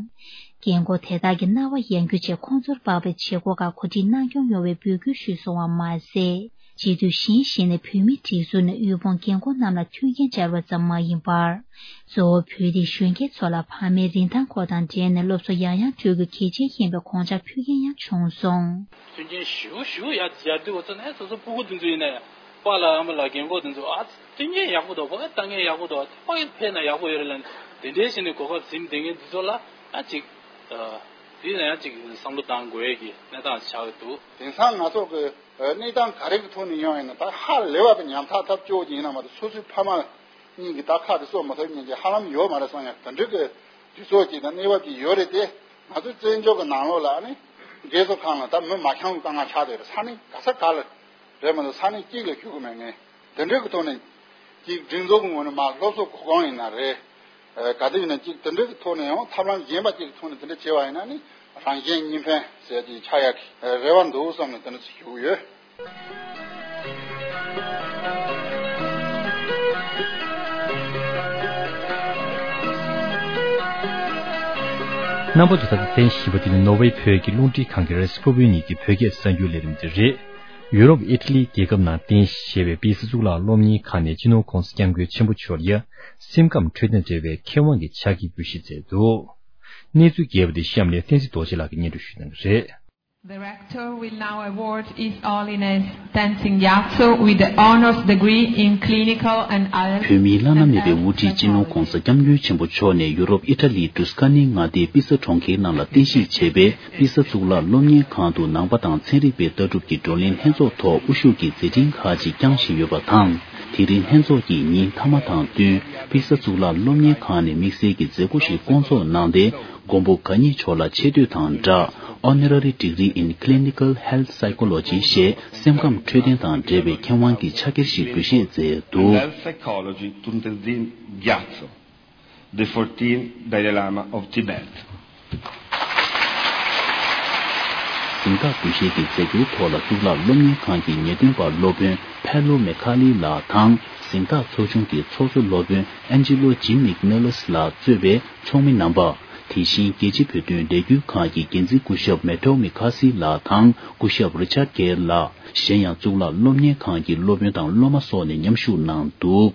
རྒན་འཁོགས་དེ་དག་གི་རྣ་བ་ཡང་རྒྱུ་ཆེད་ཁོང་ཚོར་དཔག་པའི་བྱེད་སྒོ་ཁག་གོ་སྒྲིག་གནང་སྐྱོང་ཡོང་བའི་འབོད་སྐུལ་ཞུས་སོང་བ་མ་ཟད། སྤྱི་འཐུས་གཞན་ཞིག་ནས་བོད་མིའི་སྒྲིག་འཛུགས་ནས་དབུལ་ཕོངས་རྒན་འཁོགས་རྣམས་ལ་མཐུན་རྐྱེན་སྦྱར་བ་ཙམ་མ་ཡིན་པར། གཙོ་བོ་བོད་རིགས་གཞོན་སྐྱེས་ཚོ་ལ་ཕ་མའི་རིན་ཐང་སྐོར་དང་འབྲེལ་ནས་སློབ་གསོ་ཡང་ཡང་སྤྲོད་རྒྱུ་གལ་ཆེན་ཡིན་པའི་དགོངས་འཆར་ཕུལ་མཁན་ཡང་བྱུང་སོང་། མཐུན་རྐྱེན་ཞེ་པོ་ཞེ་པོ་ཡར་ཡར་དུས་འོ་ཚོ་ནས་སོ་སོ་སྤུ་གུ་དེ་ཚོ་ཡིན་ན་ཡང་པཱ་ལགས་ཨ་མ་ལགས་རྒན་འཁོགས་དེ་ཚོ། ཨ། མཐུན་རྐྱེན་ཡག་པོ་འདུག་ཕ་གི་ལྟ་མཁན་ཡག་པོ་འདུག་ཕ་གི་ཕེབས་ན་ཡག་པོ་ཡོད་རེད་ལབ་ནས། དེ་འདྲའི་བྱས་ནས་གོ་སྐབས་ཟིན་བསྡད་མཁན་འདི་ཚོ་ལ་ཡང་ཅིག་ཨ། དེ་ལ་ཡང་ཅིག་བསམ་བློ་བཏང་དགོས་ཀྱི་གནས་སྟངས་ཆགས་ཀྱི་འདུག་དེང་སང་ང་ཚོ་གི་གནས་སྟངས་ག་རེ་གི་ཐོག་ནས་ཡོང་ཡིན་ན། ད་ཧ་ལས་པ་གི་ཉམ་ཐག་ཐབས་སྐྱོ་བོ་ཅིག་ཡིན་ན་མ་གཏོགས། སོ་སོའི་ཕ་མ་གཉིས་ཀྱི་ད་ཁ་དེ་གསོ་མ་ཐུབ་མཁན་ཅིག་ཧ་ལམ་ཡོད་མ་རེད་བསམ་ཡང་། དེ་འདྲའི་གི་དུས་ཚོད་ཅིག་དང་གནས་བབ་ཅིག་ཡོད་རེད་དེ། ང་ཚོའི་བཙན་བྱོལ་གྱི་ནང་ལོགས་ལ་ཨ་ནི་རྒན་གསོ་ཁང་ལ་ད་མི་མ་འཁྱམ་གྱི་དཀའ་ངལ་ཆགས་བསྡད་རེད། ས་གནས་ག་ས་ག་ལ་རེད་མ་གཏོགས། ས་གནས་གཅིག་ལ་བཞུགས་གི་མེད་མཁན། དེ་འདྲའི་གི་ཐོག་ནས་ཅིག་སྒྲིག་འཛུགས་ཀྱི་ངོས་ནས་མར་སློབ་གསོ་གོ་སྐོང་ཡིན་ན་རེད། ཨ། ག་དུས་ཡིན་ན་ཅིག་དེ་འདྲའི་གི་ཐོག་ནས་ཡང་ཐབས་ལམ་གཞན་པ་ཅིག་གི་ཐོག་ནས་དེ་འདྲ་བྱས་པ་ཡིན་ན་ནི། རང་གཞན་གཉིས་ཕན་ཟེར་ཅིག་ཆགས་ཡག་གི་རེ་བ་འདུག་བསམ་ནས་དེ་འདྲ་ཞུ་གི་ཡོད། རྣམ་པ་ཚོ། ད་ལྟ་གསན་བཞིན་པ་འདི་ནི་ནོར་ཝེ་བོད་ཀྱི་རླུང་འཕྲིན་ཁང་གི་རེས་སྐུ་བོད་གཉིས་ཀྱི་བོད་སྐད་གསར་འགྱུར་ལས་རིམ་དེ་རེད། ཡུ་རོབ་ཨི་ཊ་ལི་རྒྱལ་ཁབ་ནང་རྟེན་གཞི་བྱས་པའི་པི་ས་གཙུག་ལག་སློབ་གཉེར་ཁང་ནས་སྤྱི་ནོར་༧གོང་ས་༧སྐྱབས་མགོན་ཆེན་པོ་མཆོག་ལ་སེམས་ཁམས་འཕྲོད་བསྟེན་འབྲེལ་བའི་མཁས་དབང་གི་ཕྱག་འཁྱེར་འབུལ་བཞེས་མཛད་འདུག་གནས་ཚུལ་རྒྱས་པ་དེ་གཤམ་ནས་བསྟན་འཛིན་རྡོ་རྗེ་ལགས་ཀྱིས་སྙན་སྒྲོན་ཞུ་གནང་གི་རེད། The rector will now award His Holiness Tenzin Gyatso with the Honours Degree in Clinical and Allied བོད་མིའི་བླ་ན་མེད་པའི་དབུ་ཁྲིད་སྤྱི་ནོར་༧གོང་ས་༧སྐྱབས་མགོན་ཆེན་པོ་མཆོག་ནས་ཡུ་རོབ་ཨི་ཊ་ལིའི་ཏུ་སི་ཀ་ནིའི་མངའ་སྡེའི་པི་ས་གྲོང་ཁྱེར་ནང་ལ་རྟེན་གཞི་བྱས་པའི་པི་ས་གཙུག་ལག་སློབ་གཉེར་ཁང་དུ་ནང་པ་དང་ཚན་རིག་པའི་ལྟ་གྲུབ་ཀྱི་བགྲོ་གླེང་ལྷན་ཚོགས་ཐོག་དབུ་བཞུགས་ཀྱི་མཛད་འཕྲིན་ཁག་ཅིག་བསྐྱངས་བཞིན་ཡོད་པ་དང་། དེ་རིང་ལྷན་ཚོགས་ཀྱི་ཉིན་མཐའ་མ་དང་བསྟུན། པི་ས་གཙུག་ལག་སློབ་གཉེར་ཁང་ནས་དམིགས་བསལ་གྱི་མཛད་སྒོ་ཞིག་བསྐོང་ཚོགས་གནང་སྟེ། མགོན་པོ་གང་ཉིད་མཆོག་ལ་ཆེ་བསྟོད་དང་སྦྲགས། Honorary Degree in Clinical Health Psychology ཞེས་སེམས་ཁམས་འཕྲོད་བསྟེན་དང་འབྲེལ་བའི་མཁས་དབང་གི་ཕྱག་འཁྱེར་ཞིག་འབུལ་བཞེས་མཛད་འདུག Health Psychology to Tenzin Gyatso, the fourteenth Dalai Lama of Tibet. གཟེངས་རྟགས་འབུལ་བཞེས་ཀྱི་མཛད་སྒོའི་ཐོག་ལ་གཙུག་ལག་སློབ་གཉེར་ཁང་གི་ངེས་སྟོན་པ་སློབ་དཔོན་ཕེ་ལོ་མེ་ཁ་ལི་ལགས་དང་། གཟེངས་རྟགས་ཚོགས་ཆུང་གི་ཚོགས་གཙོ་སློབ་དཔོན་ཨན་ཇི་ལོ་ཇིམ་མིག་ནེ་ལོས་ལགས་གཙོས་པའི་ཚོགས་མི་རྣམ་པ། དེ་བཞིན་རྒྱལ་སྤྱིའི་བོད་དོན་ལས་འགུལ་ཁང་གི་འགན་འཛིན་སྐུ་ཞབས་མེ་ཏོ་མི་ཁ་སི་ལགས་དང་སྐུ་ཞབས་རི་ཆར་གེར་ལགས། གཞན་ཡང་གཙུག་ལག་སློབ་གཉེར་ཁང་གི་སློབ་དཔོན་དང་སློབ་མ་སོགས་ནས་མཉམ་ཞུགས་གནང་འདུག་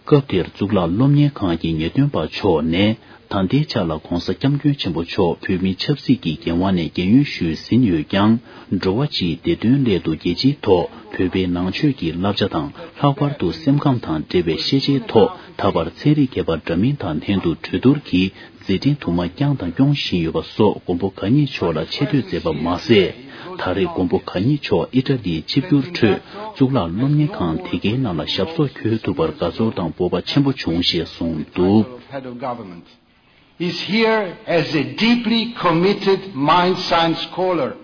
སྐབས་དེར་གཙུག་ལག་སློབ་གཉེར་ཁང་གི་ངེས་སྟོན་པ་མཆོག་ནས། ད་ལྟའི་ཆ་ལ་༧གོང་ས་༧སྐྱབས་མགོན་ཆེན་པོ་མཆོག་བོད་མིའི་ཆབ་སྲིད་ཀྱི་འགན་དབང་ནས་རྒན་ཡོལ་ཞུས་ཟིན་ཡོད་ཀྱང་། འགྲོ་བ་སྤྱིའི་བདེ་དོན་སླད་དུ་རྒྱལ་སྤྱིའི་ཐོག་བོད་པའི་ནང་ཆོས་ཀྱི་བསླབ་བྱ་དང་། ལྷག་པར་དུ་སེམས་ཁམས་དང་འབྲེལ་བའི་ཤེས་བྱའི་ཐོག་ད་བར་ཚན་རིག་མཁས་པ་འདྲ་མིན་དང་ལྷན་དུ་གྲོས་བསྡུར་གྱིས་མཛད་འཕྲིན་དུ་མ་བསྐྱངས་དང་སྐྱོང་བཞིན་ཡོད་པ་སོགས་མགོན་པོ་གང་ཉིད་མཆོག་ལ་ཆེ་བསྟོད་མཛད་པ་མ་ཟད། ད་རེས་མགོན་པོ་གང་ཉིད་མཆོག་ཨི་ཊ་ལིའི་ཆིབས་བསྒྱུར་ཁྲོད་གཙུག་ལག་སློབ་གཉེར་ཁང་དེ་གའི་ནང་ལ་ཞབས་སོར་འཁོད་ཐུབ་པར་དགའ་ཚོར་དང་སྤོབས་པ་ཆེན་པོ་བྱུང་ཞེས་གསུངས་འདུག Head of government is here as a deeply committed mind science scholar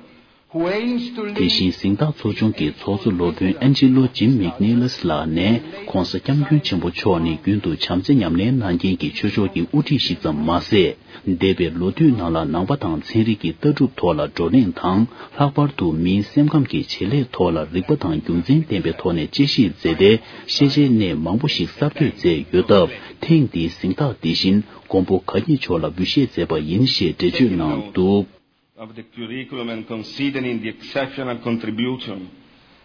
who aims to lead དེ་བཞིན་གཟེངས་རྟགས་ཚོགས་ཆུང་གི་ཚོགས་གཙོ་སློབ་དཔོན་ཨན་ཇི་ལོ་ཇིམ་མིག་ནེ་ལེས་ལགས་ནས། ༸གོང་ས་༸སྐྱབས་མགོན་ཆེན་པོ་མཆོག་ནི་རྒྱུན་དུ་བྱམས་བརྩེ་ཉམས་ལེན་གནང་མཁན་གྱི་ཆོས་ཕྱོགས་ཀྱི་དབུ་ཁྲིད་ཞིག་ཙམ་མ་ཟད། འདས་པའི་ལོ་དུས་ནང་ལ་ནང་པ་དང་ཚན་རིག་གི་ལྟ་གྲུབ་ཐོག་ལ་བགྲོ་གླེང་དང་། ལྷག་པར་དུ་མིའི་སེམས་ཁམས་ཀྱི་བྱེད་ལས་ཐོག་ལ་རིག་པ་དང་རྒྱུ་མཚན་ལྡན་པའི་ཐོག་ནས་དཔྱད་ཞིབ་མཛད་དེ། ཤེས་བྱའི་གནས་མང་པོ་ཞིག་གསར་གཏོད་མཛད་ཡོད་སྟབས། ཐེངས་འདིའི་གཟེངས་རྟགས་འདི་བཞིན་མགོན་པོ་གང་ཉིད་མཆོག་ལ་འབུལ་བཞེས་མཛད་པ་ཡིན་ཞེས་འགྲེལ་བརྗོད་གནང་འདུག Of the curriculum and considering the exceptional contribution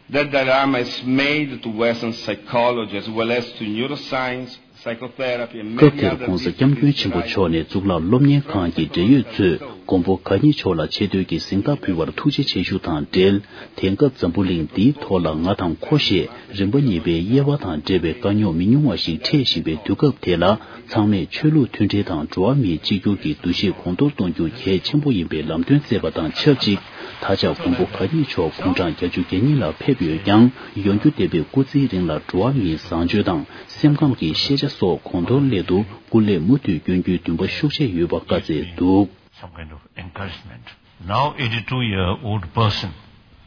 that Dalai Lama has made to Western psychology as well as to neuroscience, psychotherapy and many other disciplines. སྐབས་དེར་༸གོང་ས་༸སྐྱབས་མགོན་ཆེན་པོ་མཆོག་ནས་གཙུག་ལག་སློབ་གཉེར་ཁང་གི་འབྲེལ་ཡོད་ཚོས་མགོན་པོ་གང་ཉིད་མཆོག་ལ་ཆེ་བསྟོད་ཀྱི་གཟེངས་རྟགས་ཕུལ་བར་ཐུགས་རྗེ་ཆེ་ཞུ་དང་འབྲེལ། དེང་སྐབས་འཛམ་བུ་གླིང་འདིའི་ཐོག་ལ་ང་དང་ཁོ་ཞེས་རིམ་པ་གཉིས་པའི་དབྱེ་བ་དང་འབྲེལ་བའི་དཀའ་རྙོག་མི་ཉུང་བ་ཞིག་འཕྲད་བཞིན་པའི་དུས་སྐབས་དེ་ལ། ཚང་མས་ཆོས་ལུགས་མཐུན་སྒྲིལ་དང་འགྲོ་བ་མིའི་གཅིག་གྱུར་གྱི་འདུ་ཤེས་གོང་མཐོར་གཏོང་རྒྱུ་གལ་ཆེན་པོ་ཡིན་པའི་ལམ་སྟོན་མཛད་པ་དང་ཆབས་ཅིག་ད་ཆ་མགོན་པོ་གང་ཉིད་མཆོག་དགུང་གྲངས་བརྒྱད་ཅུ་གྱ་གཉིས་ལ་ཕེབས་ཡོད་ཀྱང་། ཡོང་རྒྱུ་འདས་པའི་སྐུ་ཚེའི་རིང་ལ་འགྲོ་བ་མིའི་བཟང་སྤྱོད་དང་སེམས་ཁམས་ཀྱི་ཤེས་བྱ་སོགས་གོང་མཐོར་སླེབས་འདུག་སྐུ་ལས་མུ་མཐུད་བསྐྱོན་རྒྱུའི་འདུན་པ་ཤུགས་ཆེ་ཡོད་པ་བཀའ་སྩལ་འདུག Some kind of encouragement. Now, eighty-two year old person,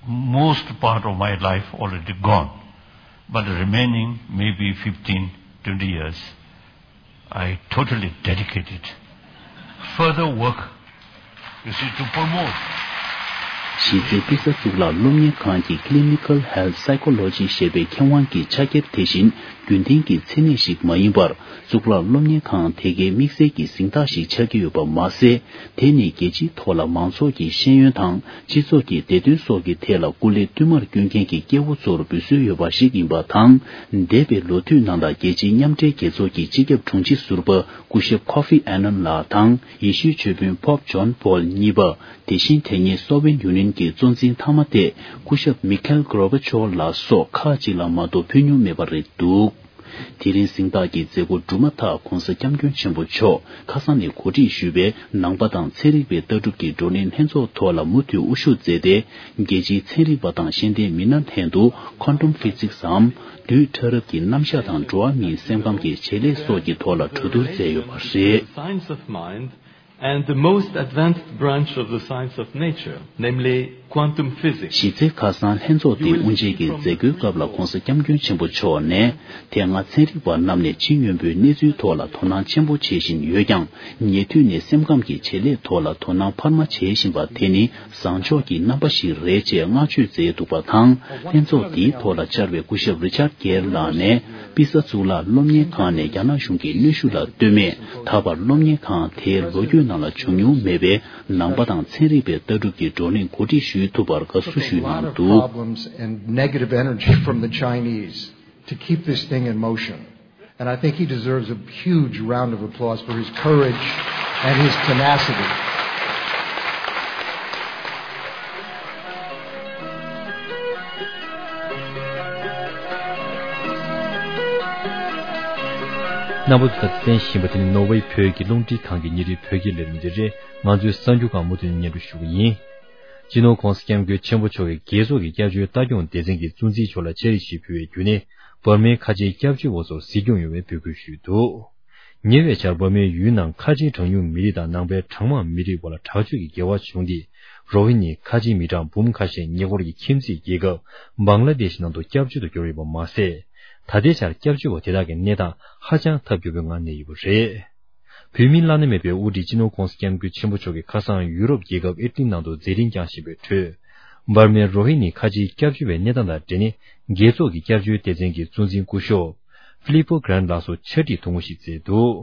most part of my life already gone, but the remaining maybe fifteen, twenty years, I totally dedicated further work, you see, to promote. གཞི་རྩའི་པི་ས་གཙུག་ལག་སློབ་གཉེར་ཁང་གི་Clinical Health Psychology ཞེས་པའི་མཁས་དབང་གི་ཕྱག་ཁྱེར་དེ་བཞིན་རྒྱུན་ལྡན་གྱི་མཚན་གནས་ཤིག་མ་ཡིན་པར། གཙུག་ལག་སློབ་གཉེར་ཁང་དེ་གའི་དམིགས་བསལ་གྱི་གཟེངས་རྟགས་ཤིག་ཆགས་ཀྱི་ཡོད་པ་མ་ཟད། དེ་ནི་རྒྱལ་སྤྱིའི་ཐོག་ལ་མང་ཚོགས་ཀྱི་ཤེས་ཡོན་དང་སྤྱི་ཚོགས་ཀྱི་བདེ་དོན་སོགས་ཀྱི་ཐད་ལ་སྐུ་ལས་བསྟུད་མར་བསྐྱོན་མཁན་གྱི་སྐྱེ་བོ་ཚོར་འབུལ་སྲོལ་ཡོད་པ་ཞིག་ཡིན་པ་དང་། འདས་པའི་ལོ་དུས་ནང་ལ་རྒྱལ་སྤྱིའི་མཉམ་འབྲེལ་རྒྱལ་ཚོགས་ཀྱི་སྤྱི་ཁྱབ་དྲུང་ཆེ་ཟུར་པ་སྐུ་ཞབས་ཀོ་ཧྥི་ཨ་ནན་ལགས་དང་། ཡེ་ཤུའི་ཆོས་དཔོན་པོབ་ཇོན་པོལ་གཉིས་པ། དེ་བཞིན་དེ་སྔའི་སོ་ཝེད་ཡུ་ནིཡན་གྱི་གཙོ་འཛིན་མཐའ་མ་སྟེ་སྐུ་ཞབས་མི་ཁེལ་གོར་བྷ་ཆོབ་ལགས་སོགས་ཁག་ཅིག་ལ་མ་གཏོགས་ཕུལ་མྱོང་མེད་པ་རེད་འདུག་དེ་རིང་གཟེངས་རྟགས་ཀྱི་མཛད་སྒོ་གྲུབ་མ་ཐག་༸གོང་ས་༸སྐྱབས་མགོན་ཆེན་པོ་མཆོག་ཁ་སང་ནས་གོ་སྒྲིག་ཞུས་པའི་ནང་པ་དང་ཚན་རིག་པའི་ལྟ་གྲུབ་ཀྱི་བགྲོ་གླེང་ལྷན་ཚོགས་ཐོག་ལ་མུ་མཐུད་དབུ་བཞུགས་མཛད་དེ། རྒྱལ་སྤྱིའི་ཚན་རིག་པ་དང་ཤེས་ལྡན་མི་སྣ་ལྷན་དུ་Quantum Physics འམ་རྡུལ་ཕྲ་རབ་ཀྱི་རྣམ་གཞག་དང་འགྲོ་བ་མིའི་སེམས་ཁམས་ཀྱི་བྱེད་ལས་སོགས་ཀྱི་ཐོག་ལ་གྲོས་བསྡུར་མཛད་ཡོད་པ་རེད། Science of mind and the most advanced branch of the science of nature, namely quantum. གཞི་རྩའི་ཁ་སང་ལྷན་ཚོགས་འདིའི་དབུ་འབྱེད་ཀྱི་མཛད་སྒོའི་སྐབས་ལ་༸གོང་ས་༸སྐྱབས་མགོན་ཆེན་པོ་མཆོག་ནས། དེ་སྔ་ཚན་རིག་པ་རྣམས་ནས་ཕྱི་སྙོམས་པོའི་གནས་ཚུལ་ཐོག་ལ་དོ་སྣང་ཆེན་པོ་བྱེད་བཞིན་ཡོད་ཀྱང་། ཉེ་དུས་ནས་སེམས་ཁམས་ཀྱི་བྱེད་ལས་ཐོག་ལ་དོ་སྣང་འཕར་མ་བྱེད་བཞིན་པ་དེ་ནི་བཟང་ཕྱོགས་ཀྱི་རྣམ་པ་ཞིག་རེད་ཅེས་བསྔགས་བརྗོད་མཛད་འདུག་པ་དང་། ལྷན་ཚོགས་འདིའི་ཐོག་ལ་བཅར་བའི་སྐུ་ཞབས་རི་ཆར་གེར་ལགས་ནས། པི་ས་གཙུག་ལག་སློབ་གཉེར་ཁང་ནས་རྒྱ་ནག་གཞུང་གི་གནོན་ཤུགས་ལ་ལྟོས་མེད། ད་བར་སློབ་གཉེར་ཁང་དེའི་ལོ་རྒྱུས་ནང་ལ་བྱུང་མྱོང་མེད་པའི་ནང་པ་དང་ཚན་རིག་པའི་ལྟ་གྲུབ་ཀྱི་བགྲོ་གླེང་གོ་སྒྲིག་ཞུས་ཐུབ་པར་དགའ་བསུ་ཞུས་གནང་འདུག Problems and negative energy from the Chinese to keep this thing in motion. And I think he deserves a huge round of applause for his courage and his tenacity. རྣམ་པ་ཚོ་ད་གསན་བཞིན་པ་དེ་ནི་ནོར་ཝེ་བོད་ཀྱི་རླུང་འཕྲིན་ཁང་གི་ཉིན་རེའི་བོད་སྐད་ལས་རིམ་དེ་རེད། ང་ཚོའི་གསར་འགྱུར་ཁག་མུ་མཐུད་སྙན་སྒྲོན་ཞུ་གི་ཡིན། སྤྱི་ནོར་༸གོང་ས་༸སྐྱབས་མགོན་ཆེན་པོ་མཆོག་གིས་རྒྱལ་ཚོགས་ཀྱི་སྐྱབས་བཅོལ་ལྟ་སྐྱོང་སྡེ་ཚན་གྱི་གཙོ་འཛིན་མཆོག་ལ་ཕྱག་བྲིས་ཤིག་ཕུལ་བའི་བརྒྱུད་ནས། འབར་མའི་ཁ་ཆེའི་སྐྱབས་བཅོལ་བ་ཚོར་གཟིགས་སྐྱོང་ཡོང་བའི་འབོད་སྐུལ་ཞུས་འདུག་ཉེ་བའི་ཆར་འབར་མའི་ཡུལ་ནང་ཁ་ཆེའི་གྲངས་ཉུང་མི་རིགས་དང་ནང་པའི་གྲངས་མང་མི་རིགས་བར་ལ་དྲག་སྤྱོད་ཀྱི་འགལ་བ་བྱུང་སྟེ། རོ་ཧི་ནི་ཁ་ཆེའི་མི་གྲངས་འབུམ་ཁ་ཤས་ཉེ་འཁོར་གྱི་ཁྱིམ་མཚེས་རྒྱལ་ཁབ་བང་ལ་དེ་ཤི་ནང་དུ་སྐྱབས་བཅོལ་དུ་གྱུར་ཡོད་པ་མ་ཟད། ད་ལྟའི་ཆར་སྐྱབས་བཅོལ་བ་དེ་དག་གི་གནས་སྟངས་ཧ་ཅང་ཐབས་སྐྱོ་པོའི་ངང་གནས་ཡོད་པ་རེད། བོད་མིའི་བླ་ན་མེད་པའི་དབུ་ཁྲིད་སྤྱི་ནོར་༸གོང་ས་༸སྐྱབས་མགོན་ཆེན་པོ་མཆོག་གིས་ཁ་སང་ཡུ་རོབ་རྒྱལ་ཁབ་ཨི་ཊ་ལི་ནང་དུ་མཛད་འཕྲིན་བསྐྱངས་བཞིན་པའི་ཁྲོད། འབར་མའི་རོ་ཧི་ནི་ཁ་ཆེའི་སྐྱབས་བཅོལ་བའི་གནས་སྟངས་དང་འབྲེལ་ནས། རྒྱལ་ཚོགས་ཀྱི་སྐྱབས་བཅོལ་སྡེ་ཚན་གྱི་གཙོ་འཛིན་སྐུ་ཞབས་ཕི་ལི་པོ་གྷ་རན་ལགས་སུ་ཕྱག་བྲིས་ཐུང་ངུ་ཞིག་བསྩལ་འདུག་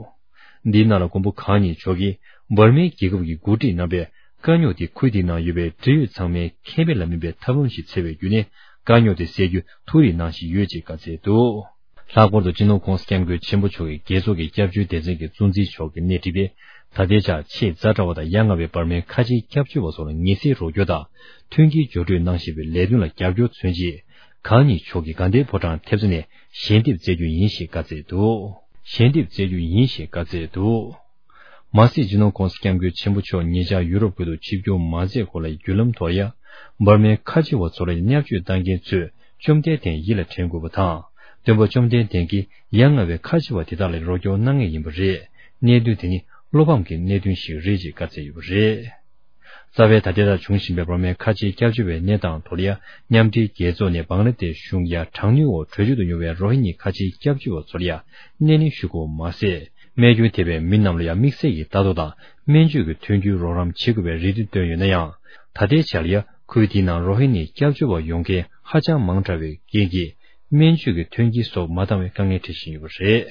འདིའི་ནང་ལ་མགོན་པོ་གང་ཉིད་མཆོག་གིས། འབར་མའི་རྒྱལ་ཁབ་ཀྱི་འགོ་ཁྲིད་རྣམ་པས་དཀའ་རྙོག་དེ་ཁུལ་དེའི་ནང་ཡོད་པའི་འབྲེལ་ཡོད་ཚང་མས་ཁེ་ཕན་ལ་དམིགས་པའི་ཐབས་ལམ་ཞིག་འཚོལ་བའི་བརྒྱུད་ནས་དཀའ་རྙོག་དེ་སེལ་རྒྱུ་ཐུགས་རེ་གནང་བཞིན་ཡོད་ཅེས་བཀའ་སྩལ་འདུག། ལྷག་པར་དུ་སྤྱི་ནོར་༧གོང་ས་༧སྐྱབས་མགོན་ཆེན་པོ་མཆོག་གིས་རྒྱལ་ཚོགས་ཀྱི་སྐྱབས་བཅོལ་སྡེ་ཚན་གྱི་གཙོ་འཛིན་མཆོག་གིས་སྣེ་ཁྲིད་པའི་ད་ལྟའི་ཆར་ཆེས་ཛ་དྲག་པ་དང་ཡ་ང་བའི་འབར་མའི་ཁ་ཆེའི་སྐྱབས་བཅོལ་བ་ཚོར་ངེས་སེལ་རོགས་སྐྱོར་དང་མཐུན་རྐྱེན་སྦྱོར་སྤྲོད་གནང་བཞིན་པའི་ལས་དོན་ལ་རྒྱབ་སྐྱོར་མཚོན་ཆེད། གང་ཉིད་མཆོག་གིས་དགའ་ལྡན་ཕོ་བྲང་ཐེབས་རྩ་ནས་ཞལ་འདེབས་སྩལ་རྒྱུ་ཡིན་ཞེས་བཀའ་སྩལ་འདུག། ཞལ་འདེབས་སྩལ་རྒྱུ་ཡིན་ཞེས་བཀའ་སྩལ་འདུག། མ་ཟད་སྤྱི་ནོར་༧གོང་ས་༧སྐྱབས་མགོན་ཆེན་པོ་མཆོག་ཉེ་ཆར་ཡུ་རོབ་ཁུལ་དུ་ཆིབས་བསྒྱུར་མ་མཛད་གོང་ལ་བརྒྱུད་ལམ་ཐོག་ཡ། འབར་མའི་ཁ་ཆེ་བ་ཚོ་ལ་བརྙས་བཅོས་བཏང་མཁན་ཚོས་བཅོམ་ལྡན་འདས་ཡིད་ལ་དྲན་དགོས་པ་དང་། སྟོན་པ་བཅོམ་ལྡན་འདས་ཀྱིས་ཡ་ང་བའི་ཁ་ཆེ་བ་དེ་དག་ལ་རོགས་སྐྱོར་གནང་ངེས་ཡིན་པ་རེད། གནད་དོན་དེ་ནི་བློ་ཕམ་གྱི་གནད་དོན་ཞིག་རེད་ཅེས་བཀའ་སྩལ་ཡོད་པ་རེད། རྩ་བའི་ད་ལྟའི་ཆར་བྱུང་བཞིན་པའི་འབར་མའི་ཁ་ཆེའི་སྐྱབས་བཅོལ་བའི་གནས་སྟངས་ཐོག་ལ་ཡ། མཉམ་འབྲེལ་རྒྱལ་ཚོགས་ནས་བང་ལ་དེཤ་གཞུང་ཡ་དྲག་གནོན་འོག་བྲོས་བྱོལ་དུ་ཡོང་བའི་རོ་ཧི་ཉི་ཁ་ཆེའི་སྐྱབས་བཅོལ་བ་ཚོར་ཡ། སྣེ་ལེན་ཞུ་དགོས་པ་མ་ཟད། རྨས་སྐྱོན་ཐེབས་པའི་མི་རྣམས་ལ་ཡང་དམིགས་བསལ་གྱི་ལྟ་རྟོག་དང་སྨན་བཅོས་ཀྱི་མཐུན་འགྱུར་རོགས་རམ་བྱེད་དགོས་པའི་རེ་འདུན་བཏོན་ཡོད་ན་ཡང་། ད་ལྟའི་ཆར་ཡ་ཁུལ་དེའི་ནང་རོ་ཧི་ཉི་སྐྱབས་བཅོལ་བ་ཡོང་མཁན་ཧ་ཅང་མང་དྲགས་པའི་རྐྱེན་གྱིས་སྨན་བཅོས་ཀྱི་མཐུན་རྐྱེན་སོགས་མ་འདང་བའི་དཀའ་ངལ་འཕྲད་བཞིན་ཡོད་པ་རེད།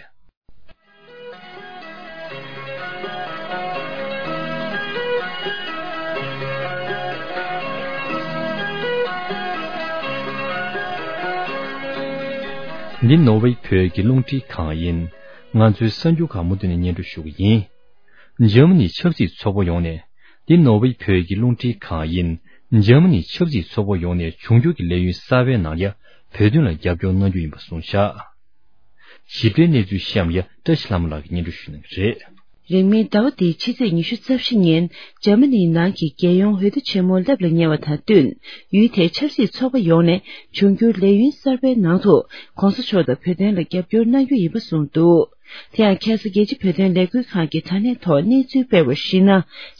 འདི་ནོར་ཝེ་བོད་ཀྱི་རླུང་འཕྲིན་ཁང་ཡིན། ང་ཚོའི་གསར་འགྱུར་ཁག་མུ་མཐུད་ནས་སྙན་སྒྲོན་ཞུ་གི་ཡིན། འཇར་མ་ནི་ཆབ་སྲིད་ཚོགས་པ་ཡོངས་ནས། འདི་ནོར་ཝེ་བོད་ཀྱི་རླུང་འཕྲིན་ཁང་ཡིན། འཇར་མ་ནི་ཆབ་སྲིད་ཚོགས་པ་ཡོངས་ནས་འབྱུང་འགྱུར་གྱི་ལས་ཡུན་གསར་པའི་ནང་ཡ་བོད་དོན་ལ་རྒྱབ་སྐྱོར་གནང་རྒྱུ་ཡིན་པ་གསུངས་བཞག། ཞིབ་ཕྲའི་གནས་ཚུལ་གཤམ་ཡ་བཀྲ་ཤིས་ལྷ་མོ་ལགས་ཀྱིས་སྙན་སྒྲོན་ཞུ་གནང་གི་རེད། རིང་མིན་ཟླ་བ་འདིའི་ཕྱི་ཚེས་ཉི་ཤུ་རྩ་བཞི་ཉིན་འཇར་མ་ནིའི་ནང་གི་རྒྱལ་ཡོངས་འོས་བསྡུ་ཆེན་མོ་སླེབས་ལ་ཉེ་བ་དང་བསྟུན། ཡུལ་དེའི་ཆབ་སྲིད་ཚོགས་པ་ཡོངས་ནས་འབྱུང་འགྱུར་ལས་ཡུན་གསར་པའི་ནང་དུ་གོང་ས་མཆོག་དང་བོད་དོན་ལ་རྒྱབ་སྐྱོར་གནང་རྒྱུ་ཡིན་པ་གསུངས་འདུག། དེ་ཡང་ཁ་སང་རྒྱལ་སྤྱི་བོད་དོན་ལས་འགུལ་ཁང་གི་དྲ་གནས་ཐོག་གནས་ཚུལ་སྤེལ་བར་གཞིགས་ན།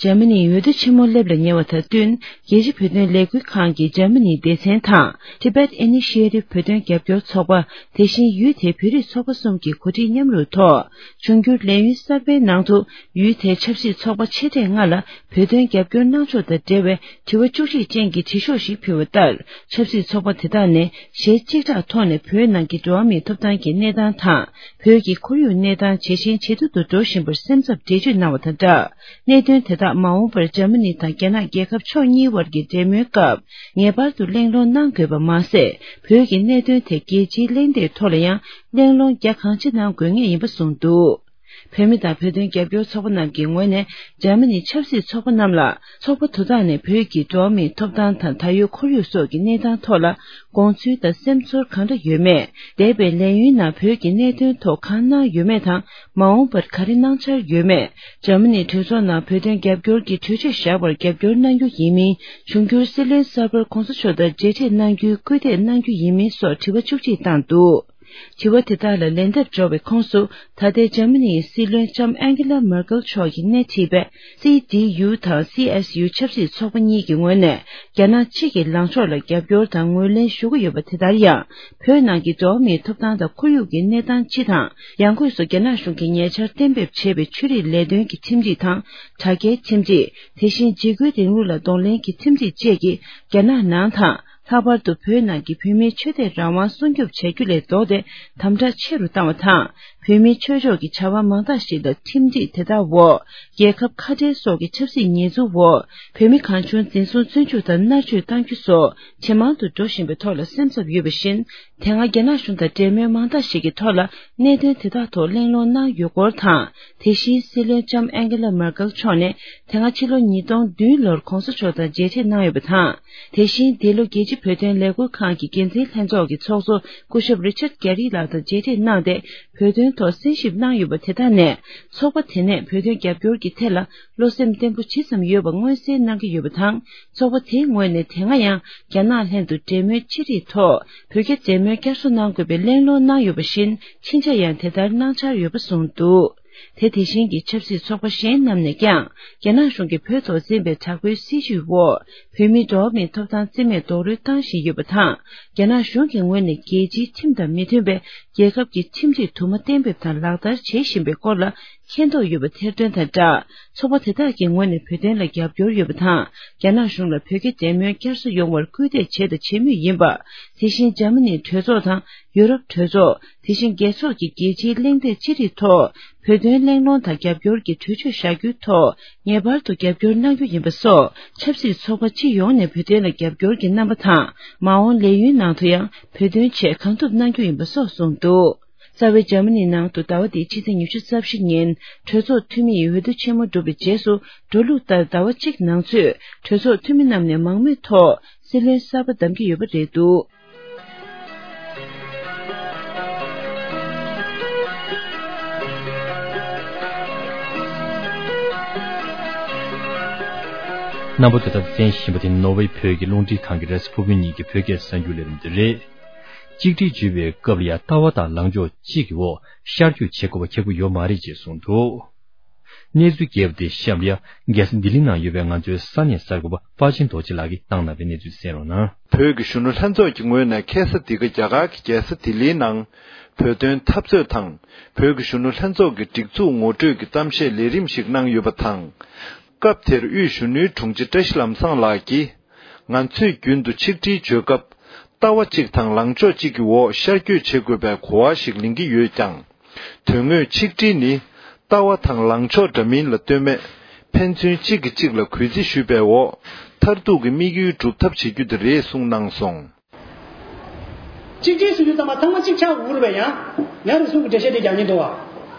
འཇར་མ་ནིའི་འོས་བསྡུ་ཆེན་མོ་སླེབས་ལ་ཉེ་བ་དང་བསྟུན། རྒྱལ་སྤྱི་བོད་དོན་ལས་འགུལ་ཁང་གི་འཇར་མ་ནིའི་སྡེ་ཚན་དང་། Tibet Initiative བོད་དོན་རྒྱབ་སྐྱོར་ཚོགས་པ། དེ་བཞིན་ཡུལ་དེའི་བོད་རིགས་ཚོགས་པ་གསུམ་གྱི་འགོ་ཁྲིད་མཉམ་རུབ་ཐོག། འབྱུང་འགྱུར་ལས་ཡུན་གསར་པའི་ནང་དུ། ཡུལ་དེའི་ཆབ་སྲིད་ཚོགས་པ་ཆེ་གྲས་ལྔ་ལ་བོད་དོན་རྒྱབ་སྐྱོར་གནང་ཕྱོགས་དང་འབྲེལ་བའི་དྲི་བ་བཅུ་གཅིག་ཅན་གྱི་དྲི་ཤོག་ཞིག་ཕུལ་བ་ལྟར། ཆབ་སྲིད་ཚོགས་པ་དེ་དག་ནས་གཞས་གཅིག་གྲགས་ཐོག་ནས་བོད་ནང་གི་འགྲོ་བ་མིའི་ཐོབ་ཐང་གི་གནས་སྟངས་དང་། བོད་ཀྱི་ཁོར་ཡུག་གནས་སྟངས་ཇེ་ཞན་ཇེ་སྡུག་ཏུ་འགྲོ་བཞིན་པར་སེམས་འཚབ་འགྲེལ་བརྗོད་གནང་བ་དང་སྦྲགས། གནད་དོན་དེ་དག་མ་འོངས་པར་འཇར་མ་ནི་དང་རྒྱ་ནག་རྒྱལ་ཁབ་ཕྱོགས་གཉིས་དབར་གྱི་འབྲེལ་མོལ་སྐབས་ངེས་པར་དུ་གླེང་སློང་གནང་དགོས་པ་མ་ཟད། བོད་ཀྱི་གནད་དོན་དེ་རྒྱལ་སྤྱིའི་གླེང་སྟེགས་ཐོག་ལ་ཡང་གླེང་སློང་རྒྱ་གང་ཆེ་གནང་དགོས་ངེས་ཡིན་པ་གསུངས་འདུག། བོད་མི་དང་བོད་དོན་རྒྱབ་སྐྱོར་ཚོགས་པ་རྣམས་ཀྱི་ངོས་ནས་འཇར་མ་ནིའི་ཆབ་སྲིད་ཚོགས་པ་རྣམས་ལ་ཚོགས་པ་དེ་དག་ནས་བོད་ཀྱི་འགྲོ་བ་མིའི་ཐོབ་ཐང་དང་ད་ཡོད་ཁོར་ཡུག་སོགས་ཀྱི་གནས་སྟངས་ཐོག་ལ་དགོངས་ཚུལ་དང་སེམས་ཚོར་གང་འདྲ་ཡོད་མེད། འདས་པའི་ལས་ཡུན་ནང་བོད་ཀྱི་གནད་དོན་ཐོག་གང་གནང་ཡོད་མེད་དང་། མ་འོངས་པར་ག་རེ་གནང་འཆར་ཡོད་མེད། འཇར་མ་ནིའི་གྲོས་ཚོགས་ནང་བོད་དོན་རྒྱབ་སྐྱོར་གྱི་གྲོས་ཆོད་བཞག་པར་རྒྱབ་སྐྱོར་གནང་རྒྱུ་ཡིན་མིན། འབྱུང་འགྱུར་སྲིད་བློན་གསར་པར་གོང་ས་མཆོག་དང་མཇལ་འཕྲད་གནང་རྒྱུའི་སྐུལ་འདེད་གནང་རྒྱུ་ཡིན་མིན་སོགས་དྲི་བ་བཅུ་གཅིག་བཏང་འདུག། དྲི་བ་དེ་དག་ལ་ལན་འདེབས་འབྱོར་བའི་ཁོངས་སུ། ད་ལྟའི་འཇར་མ་ནིའི་སྲིད་བློན་ལྕམ་ཨན་ཀེ་ལ་མར་ཀེལ་མཆོག་གིས་སྣེ་ཁྲིད་པའི་སི་ཌི་ཡུ་དང་སི་ཨེས་ཡུ་ཆབ་སྲིད་ཚོགས་པ་གཉིས་ཀྱི་ངོས་ནས། རྒྱ་ནག་གཅིག་གི་ལངས་ཕྱོགས་ལ་རྒྱབ་སྐྱོར་དང་ངོས་ལེན་ཞུ་གི་ཡོད་པ་དེ་ལྟར་ཡང་། བོད་ནང་གི་འགྲོ་བ་མིའི་ཐོབ་ཐང་དང་ཁོར་ཡུག་གི་གནས་སྟངས་སྤྱི་དང་། ཡང་སྒོས་སུ་རྒྱ་ནག་གཞུང་གིས་ཉེ་ཆར་གཏན་འབེབས་བྱས་པའི་ཆོས་རིག་ལས་དོན་གྱི་ཁྲིམས་སྒྲིག་དང་། དྲ་རྒྱའི་ཁྲིམས་སྒྲིག། དེ་བཞིན་འཇིགས་སྐུལ་རིང་ལུགས་ལ་གདོང་ལེན་གྱི་ཁྲིམས་སྒྲིག་བཅས་ཀྱིས་རྒྱ་ནག་ནང་དང་། ལྷག་པར་དུ་བོད་ནང་གི་བོད་མིའི་ཆོས་དད་རང་དབང་སྲུང་སྐྱོབ་བྱ་རྒྱུ་ལས་ལྡོག་སྟེ་དམ་དྲག་ཆེ་རུ་བཏང་བ་དང་། བོད་མིའི་ཆོས་ཕྱོགས་ཀྱི་བྱ་བ་མང་དག་ཞིག་ལ་ཁྲིམས་སྒྲིག་དེ་དག་འོག་རྒྱལ་ཁབ་ཁ་བྲལ་སོགས་ཀྱི་ཆབ་སྲིད་ཉེས་འཛུགས་འོག་བོད་མི་གང་བྱུང་འཛིན་བཟུང་བཙོན་འཇུག་དང་མནར་གཅོད་གཏང་རྒྱུ་སོགས་ཇེ་མང་དུ་འགྲོ་བཞིན་པའི་ཐོག་ལ་སེམས་འཚབ་ཡོད་པ་བཞིན། དེ་སྔ་རྒྱ་ནག་གཞུང་དང་འབྲེལ་མོལ་མང་དག་ཞིག་གི་ཐོག་ལ་གནད་དོན་དེ་དག་ཐོག་གླེང་སློང་གནང་ཡོད་སྐོར་དང་། དེ་བཞིན་སྲིད་བློན་ལྕམ་ཨན་ཀེ་ལ་མར་ཀེལ་མཆོག་ནས་དེ་སྔ་ཕྱི་ལོ་ཉིས་སྟོང་བདུན་ལོར་གོང་ས་མཆོག་དང་མཇལ་འཕྲད་གནང་ཡོད་པ་དང་། དེ་བཞིན་འདི་ལོ་རྒྱལ་སྤྱི་བོད་དོན་ལས་འགུལ་ཁང་གི་འགན་འཛིན་ལྷན་ཚོགས་ཀྱི་ཚོགས་གཙོ་སྐུ་ཞབས་རི་ཆར་གྷ་རི་ལགས་དང་མཇལ་འཕྲད་གནང་སྟེ། བོད་དོན་ཐོག་གསན་ཞིབ་གནང་ཡོད་པ་དེ་དག་ནས། ཚོགས་པ་དེ་ནས་བོད་དོན་རྒྱབ་སྐྱོར་གྱི་ཐད་ལ་བློ་སེམས་བརྟན་པོ་ཇི་ཙམ་ཡོད་པ་མངོན་གསལ་གནང་གི་ཡོད་པ་དང་། ཚོགས་པ་དེའི་ངོས་ནས་དེ་སྔ་ཡང་རྒྱ་ནག་ལྷན་དུ་འབྲེལ་མོལ་ཅི་རིགས་ཐོག་བོད་རྒྱ་འབྲེལ་མོལ་བསྐྱར་གསོ་གནང་དགོས་པའི་གླེང་སློང་གནང་ཡོད་པ་བཞིན། ཕྱིན་ཆད་ཡང་དེ་ལྟར་གནང་འཆར་ཡོད་པ་གསུངས་འདུག། དེ་དེ་བཞིན་གྱི་ཆབ་སྲིད་ཚོགས་པ་གཞན་རྣམས་ནས་ཀྱང་། རྒྱ་ནག་གཞུང་གིས་བོད་ཐོག་འཛིན་པའི་དྲག་པོའི་སྲིད་བྱུས་འོག་བོད་མིའི་འགྲོ་བ་མིའི་ཐོབ་ཐང་རྩིས་མེད་རྡོག་རོལ་བཏང་བཞིན་ཡོད་པ་དང་། རྒྱ་ནག་གཞུང་གི་ངོས་ནས་རྒྱལ་སྤྱིའི་ཁྲིམས་དང་མི་མཐུན་པའི་རྒྱལ་ཁབ་ཀྱི་ཁྲིམས་སྒྲིག་དུ་མ་གཏན་འབེབས་དང་ལག་བསྟར་བྱེད་བཞིན་པའི་སྐོར་ལ། མཁྱེན་རྟོགས་ཡོད་པ་ཐེར་འདོན་དང་སྦྲགས། ཚོགས་པ་དེ་དག་གི་ངོས་ནས་བོད་དོན་ལ་རྒྱབ་སྐྱོར་ཡོད་པ་དང་། རྒྱ་ནག་གཞུང་ལ་བོད་རྒྱ་འབྲེལ་མོལ་བསྐྱར་གསོ་ཡོང་བར་སྐུལ་འདེད་བྱས་དང་བྱེད་མུས་ཡིན་པ། དེ་བཞིན་འཇར་མ་ནིའི་གྲོས་ཚོགས་དང་ཡུ་རོབ་གྲོས་ཚོགས། དེ་བཞིན་རྒྱལ་ཚོགས་ཀྱི་རྒྱལ་སྤྱིའི་གླེང་སྟེགས་ཅི་རིགས་ཐོག་བོད་དོན་གླེང་སློང་དང་རྒྱབ་སྐྱོར་གྱི་གྲོས་ཆོད་བཞག་རྒྱུའི་ཐོག་ངེས་པར་དུ་རྒྱབ་སྐྱོར་གནང་རྒྱུ་ཡིན་པ་སོགས་ཆབ་སྲིད་ཚོགས་པ་སྤྱི་ཡོངས་ནས་བོད་དོན་ལ་རྒྱབ་སྐྱོར་གྱི་རྣམ་པ་དང་། མ་འོངས་ལས་ཡུན་ནང་དུ་ཡང་བོད་དོན་ཆེད་གང་ཐུབ་གནང་རྒྱུ་ཡིན་པ་སོགས་གསུངས་འདུག་རྩ་བའི་འཇར་མ་ནིའི་ནང་དུ་ཟླ་བ་འདིའི་ཕྱི་ཚེས་ཉི་ཤུ་རྩ་བཞི་ཉིན་གྲོས་ཚོགས་འཐུས་མིའི་འོས་བསྡུ་ཆེན་མོ་གྲུབ་པའི་རྗེས་སུ། འགྲོ་ལུགས་ལྟར་ཟླ་བ་གཅིག་ནང་ཚུད་གྲོས་ཚོགས་འཐུས་མི་རྣམས་ནས་མང་མོས་ཐོག་སྲིད་བློན་གསར་པ་བདམས་ཀྱི་ཡོད་པ་རེད་འདུག་རྣམ་པ་ཚོས་ད་ལྟ་གསན་བཞིན་པ་དེ་ནོར་ཝེ་བོད་ཀྱི་རླུང་འཕྲིན་ཁང་གི་རེས་ཕུར་བུ་གཉིས་ཀྱི་བོད་སྐད་གསར་འགྱུར་ལས་རིམ་དེ་རེད། གཅིག་སྒྲིལ་བརྗོད་པའི་སྐབས་ལ་ཡང་ལྟ་བ་དང་ལངས་ཕྱོགས་གཅིག་གི་འོག་ཤར་བསྐྱོད་བྱེད་དགོས་པ་ཁག་པོ་ཡོད་མ་རེད་ཅེས་གསུངས་འདུག་གནས་ཚུལ་རྒྱས་པ་དེ་གཤམ་ལ་ཡང་རྒྱལ་ས་ལྡི་ལི་ནང་ཡོད་པའི་ང་ཚོའི་ས་གནས་གསར་འགོད་པ་དཔའ་ཆེན་རྡོ་རྗེ་ལགས་ཀྱིས་བཏང་གནང་བའི་གནས་ཚུལ་གསན་རོགས་གནང་། བོད་ཀྱི་གཞོན་ནུ་ལྷན་ཚོགས་ཀྱི་ངོས་ནས་ཁ་སང་འདི་ག་རྒྱ་གར་གྱི་རྒྱལ་ས་ལྡི་ལིའི་ནང་བོད་དོན་འཐབ་རྩོད་དང་བོད་ཀྱི་གཞོན་ནུ་ལྷན་ཚོགས་ཀྱི་སྒྲིག་འཛུགས་ངོ་སྤྲོད་ཀྱི་གཏམ་བཤད་ལས་རིམ་ཞིག་གནང་ཡོད་པ་དང་། སྐབས་དེར་དབུས་གཞོན་ནུའི་དྲུང་ཆེ་བཀྲ་ཤིས་ལམ་བཟང་ལགས་ཀྱིས། ང་ཚོས་རྒྱུན་དུ་ཆིག་སྒྲིལ་བརྗོད་སྐབས། ལྟ་བ་གཅིག་དང་ལངས་ཕྱོགས་གཅིག་གི་འོག་ཤར་བསྐྱོད་བྱེད་དགོས་པའི་གོ་བ་ཞིག་ལེན་གྱི་ཡོད་ཀྱང་། དོན་དངོས་ཆིག་སྒྲིལ་ནི་ལྟ་བ་དང་ལངས་ཕྱོགས་འདྲ་མིན་ལ་ལྟོས་མེད། ཕན་ཚུན་གཅིག་གིས་གཅིག་ལ་གུས་བརྩི་ཞུས་པའི་འོག་མཐར་ཐུག་གི་དམིགས་ཡུལ་སྒྲུབ་ཐབས་བྱེད་རྒྱུ་དེ་རེད་གསུངས་གནང་སོང་། གཅིག་སྒྲིལ་ཟེར་དུས་ཙམ་པ་ཚང་མ་གཅིག་ཆགས་དགོས་རེད་པས། ཡང་ཡང་རེ་ཟུང་གི་འགྲེལ་བཤད་དེ་རྒྱག་ཉེན་འདུག་བ།